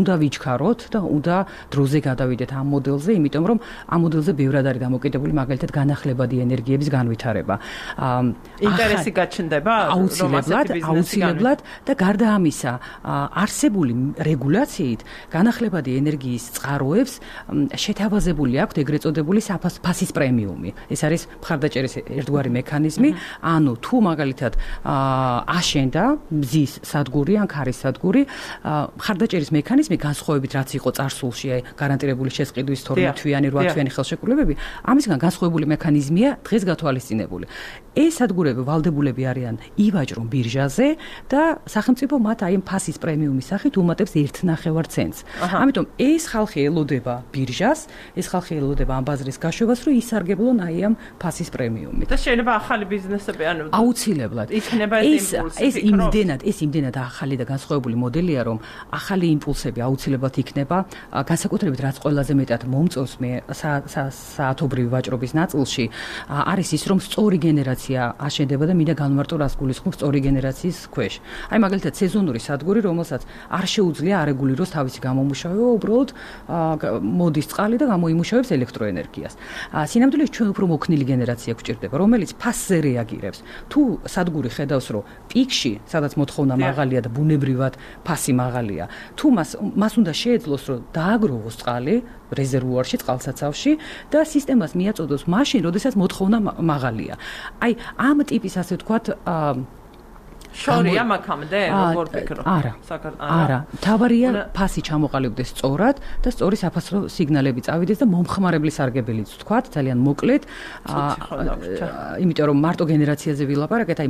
უნდა ვიჩქაროთ და უნდა დროზე გადავიდეთ ამ მოდელზე, იმიტომ რომ ამ მოდელზე ბევრად არის დამოკიდებული მაგალითად განახლებადი ენერგიების განვითარება. ინტერესი გაჩნდება, აუცილებლად, აუცილებლად და გარდა ამისა, არსებული რეგულაციით განახლებადი ენერგიის წყაროებს შეთავაზებული აქვს ეგრეთ წოდებული ფასის პრემიუმი. ეს არის მხარდაჭერის ერთგვარი მექანიზმი, ანუ თუ მაგალითად აშენდა მზის სადგური ან ქარის სადგური, მხარდაჭერის მექანიზმი განსხვავებით რაც იყო წარსულში, აი გარანტირებული შესყიდვის თორმეტ თვიანი, რვა თვიანი ხელშეკრულებები, ამისგან განსხვავებული მექანიზმია დღეს გათვალისწინებული. ეს სადგურები ვალდებულები არიან ივაჭრონ ბირჟაზე და სახელმწიფო მათ აი ფასის პრემიუმის სახით უმატებს ერთ ნახევარ ცენტს. ამიტომ ეს ხალხი ელოდება ბირჟას, ეს ხალხი ელოდება ამ ბაზრის გაშვებას, რომ ისარგებლონ აი ამ ფასის პრემიუმით. და შეიძლება ახალი ბიზნესები, ანუ აუცილებლად იქნება ეს იმპულსი. ეს იმდენად, ეს იმდენად ახალი და განსხვავებული მოდელია, რომ ახალი იმპულსები აუცილებლად იქნება, განსაკუთრებით რაც ყველაზე მეტად მომწონს მე საათობრივი ვაჭრობის ნაწილში, არის ის, რომ სწორი გენერაცია აშენდება და მინდა განმარტო რას გულისხმობს სწორი გენერაციის ქვეშ. აი მაგალითად სეზონური სადგური, რომელსაც არ შეუძლია არეგულიროს თავისი გამომუშავება, უბრალოდ მოდის წყალი და გამოიმუშავებს ელექტროენერგიას. სინამდვილეში ჩვენ უფრო მოქნილი გენერაცია გვჭირდება, რომელიც ფასზე რეაგირებს. თუ სადგური ხედავს, რომ პიკში, სადაც მოთხოვნა მაღალია და ბუნებრივად ფასი მაღალია, თუ მას მას უნდა შეეძლოს, რომ დააგროვოს წყალი რეზერვუარში, წყალსაცავში და სისტემას მიაწოდოს მაშინ, როდესაც მოთხოვნა მაღალია. აი ამ ტიპის ასე ვთქვათ შორია მაგამდე, როგორ ფიქრობ? არა. არა. თავარია ფასი ჩამოყალიბდეს სწორად და სწორი საფასურო სიგნალები წავიდეს და მომხმარებლის სარგებელიც ვთქვათ, ძალიან მოკლედ. იმიტომ რომ მარტო გენერაციაზე ვილაპარაკეთ, აი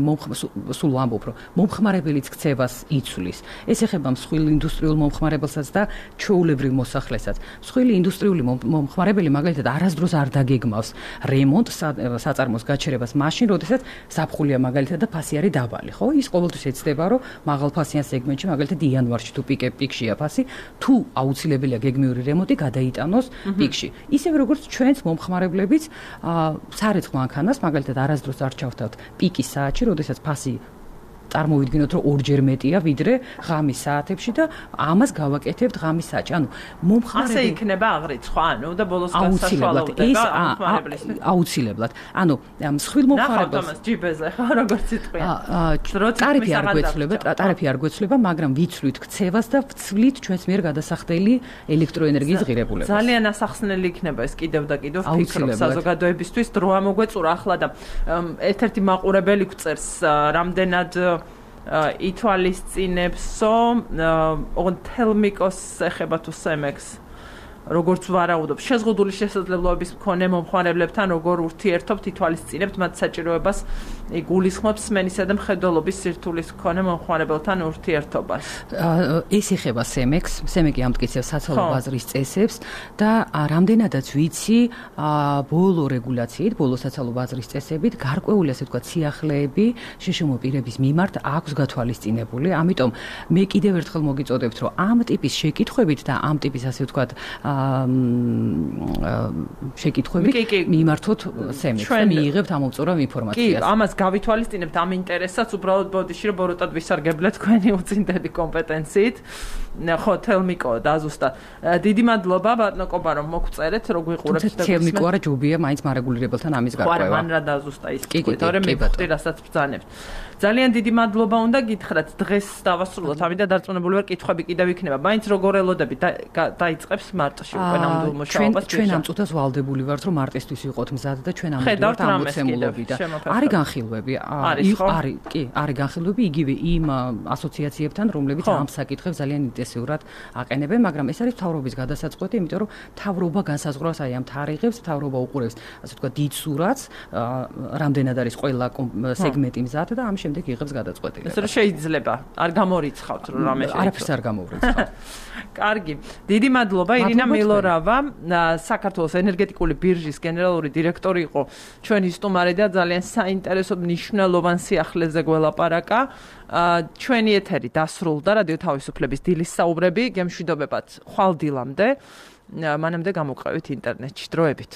სულ ვამბობ, რომ მომხმარებლის ქცევას იცვლის. ეს ეხება მსხვილ ინდუსტრიულ მომხმარებელსაც და ჩვეულებრივ მოსახლესაც. მსხვილი ინდუსტრიული მომხმარებელი მაგალითად არასდროს არ დაგეგმავს რემონტს, საწარმოს გაჩერებას მაშინ, როდესაც ზაფხულია მაგალითად და ფასი არის დაბალი, ხო? ის ყოველთვის ეცდება, რომ მაღალფასიან სეგმენტში, მაგალითად იანვარში თუ პიკე პიკშია ფასი, თუ აუცილებელია გეგმიური რემონტი გადაიტანოს პიკში. ისევე როგორც ჩვენც მომხმარებლებიც სარეცხ მანქანას, მაგალითად არასდროს არ ჩავთავთ პიკის საათში, როდესაც ფასი წარმოვიდგინოთ, რომ ორჯერ მეტია ვიდრე ღამის საათებში და ამას გავაკეთებთ ღამის საათში. ანუ მომხმარებელი ასე იქნება აღრიცხვა, ანუ და ბოლოს გასაშვალოვდება მომხმარებლის. აუცილებლად. ანუ მსხვილ მომხმარებელს ნახავთ ამას ჯიბეზე, ხო, როგორც სიტყვია. ტარიფი არ გვეცვლება, ტარიფი არ გვეცვლება, მაგრამ ვიცვლით ქცევას და ვცვლით ჩვენს მიერ გადასახდელი ელექტროენერგიის ღირებულებას. ძალიან ასახსნელი იქნება ეს კიდევ და კიდევ ვფიქრობ საზოგადოებისთვის დრო ამოგვეწურა ახლა და ერთ-ერთი მაყურებელი გვწერს რამდენად ითვალისწინებსო თელმიკოს ეხება თუ სემექს როგორც ვარაუდობ შეზღუდული შესაძლებლობების მქონე მომხმარებლებთან როგორ ურთიერთობთ ითვალისწინებთ მათ საჭიროებას იგულისხმობს სმენისა და მხედველობის სირთულის მქონე მომხმარებელთან ურთიერთობას. ეს ეხება სემექს, სემეკი ამტკიცებს საცალო ბაზრის წესებს და რამდენადაც ვიცი, ბოლო რეგულაციით, ბოლო საცალო ბაზრის წესებით გარკვეული ასე ვთქვათ სიახლეები შეშმო პირების მიმართ აქვს გათვალისწინებული. ამიტომ მე კიდევ ერთხელ მოგიწოდებთ, რომ ამ ტიპის შეკითხვებით და ამ ტიპის ასე ვთქვათ შეკითხვებით მიმართოთ სემექს და მიიღებთ ამოვწურავ ინფორმაციას. კი, ამას გავითვალისწინებთ ამ ინტერესსაც, უბრალოდ ბოდიში რომ ბოროტად ვისარგებლეთ თქვენი უწინდელი კომპეტენციით. ხო, თელმიკო დაზუსტა. დიდი მადლობა ბატონო კობა რომ მოგწერეთ, რო გვიყურებთ და თელმიკო არა ჯობია მაინც მარეგულირებელთან ამის გარკვევა. ხო, მან რა დაზუსტა ის კი, თორემ მივხვდი რასაც ბრძანებთ. ძალიან დიდი მადლობა უნდა გითხრათ დღეს დავასრულოთ, ამიტომ დარწმუნებული ვარ კითხვები კიდევ იქნება. მაინც როგორ ელოდებით დაიწყებს მარტში საწოლში უკვე ნამდვილ მუშაობას ჩვენ ამ წუთას ვალდებული ვართ რომ მარტისთვის ვიყოთ მზად და ჩვენ ამოდივართ ამოცემულობი და არის განხილვები არის კი არის განხილვები იგივე იმ ასოციაციებთან რომლებიც ამ საკითხებს ძალიან ინტენსიურად აყენებენ მაგრამ ეს არის მთავრობის გადასაწყვეტი იმიტომ რომ მთავრობა განსაზღვრავს აი ამ თარიღებს მთავრობა უყურებს ასე ვთქვათ დიდ სურათს რამდენად არის ყველა სეგმენტი მზად და ამ შემდეგ იღებს გადაწყვეტილებას ეს რომ შეიძლება არ გამორიცხავთ რომ რამე შეიძლება არაფერს არ გამორიცხავ კარგი დიდი მადლობა ირინა მილორავა საქართველოს ენერგეტიკული ბირჟის გენერალური დირექტორი იყო ჩვენი სტუმარი და ძალიან საინტერესო მნიშვნელოვან სიახლეზე გველაპარაკა ჩვენი ეთერი დასრულდა რადიო თავისუფლების დილის საუბრები გემშვიდობებად ხვალ დილამდე მანამდე გამოყევით ინტერნეტში დროებით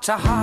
ჩაჰა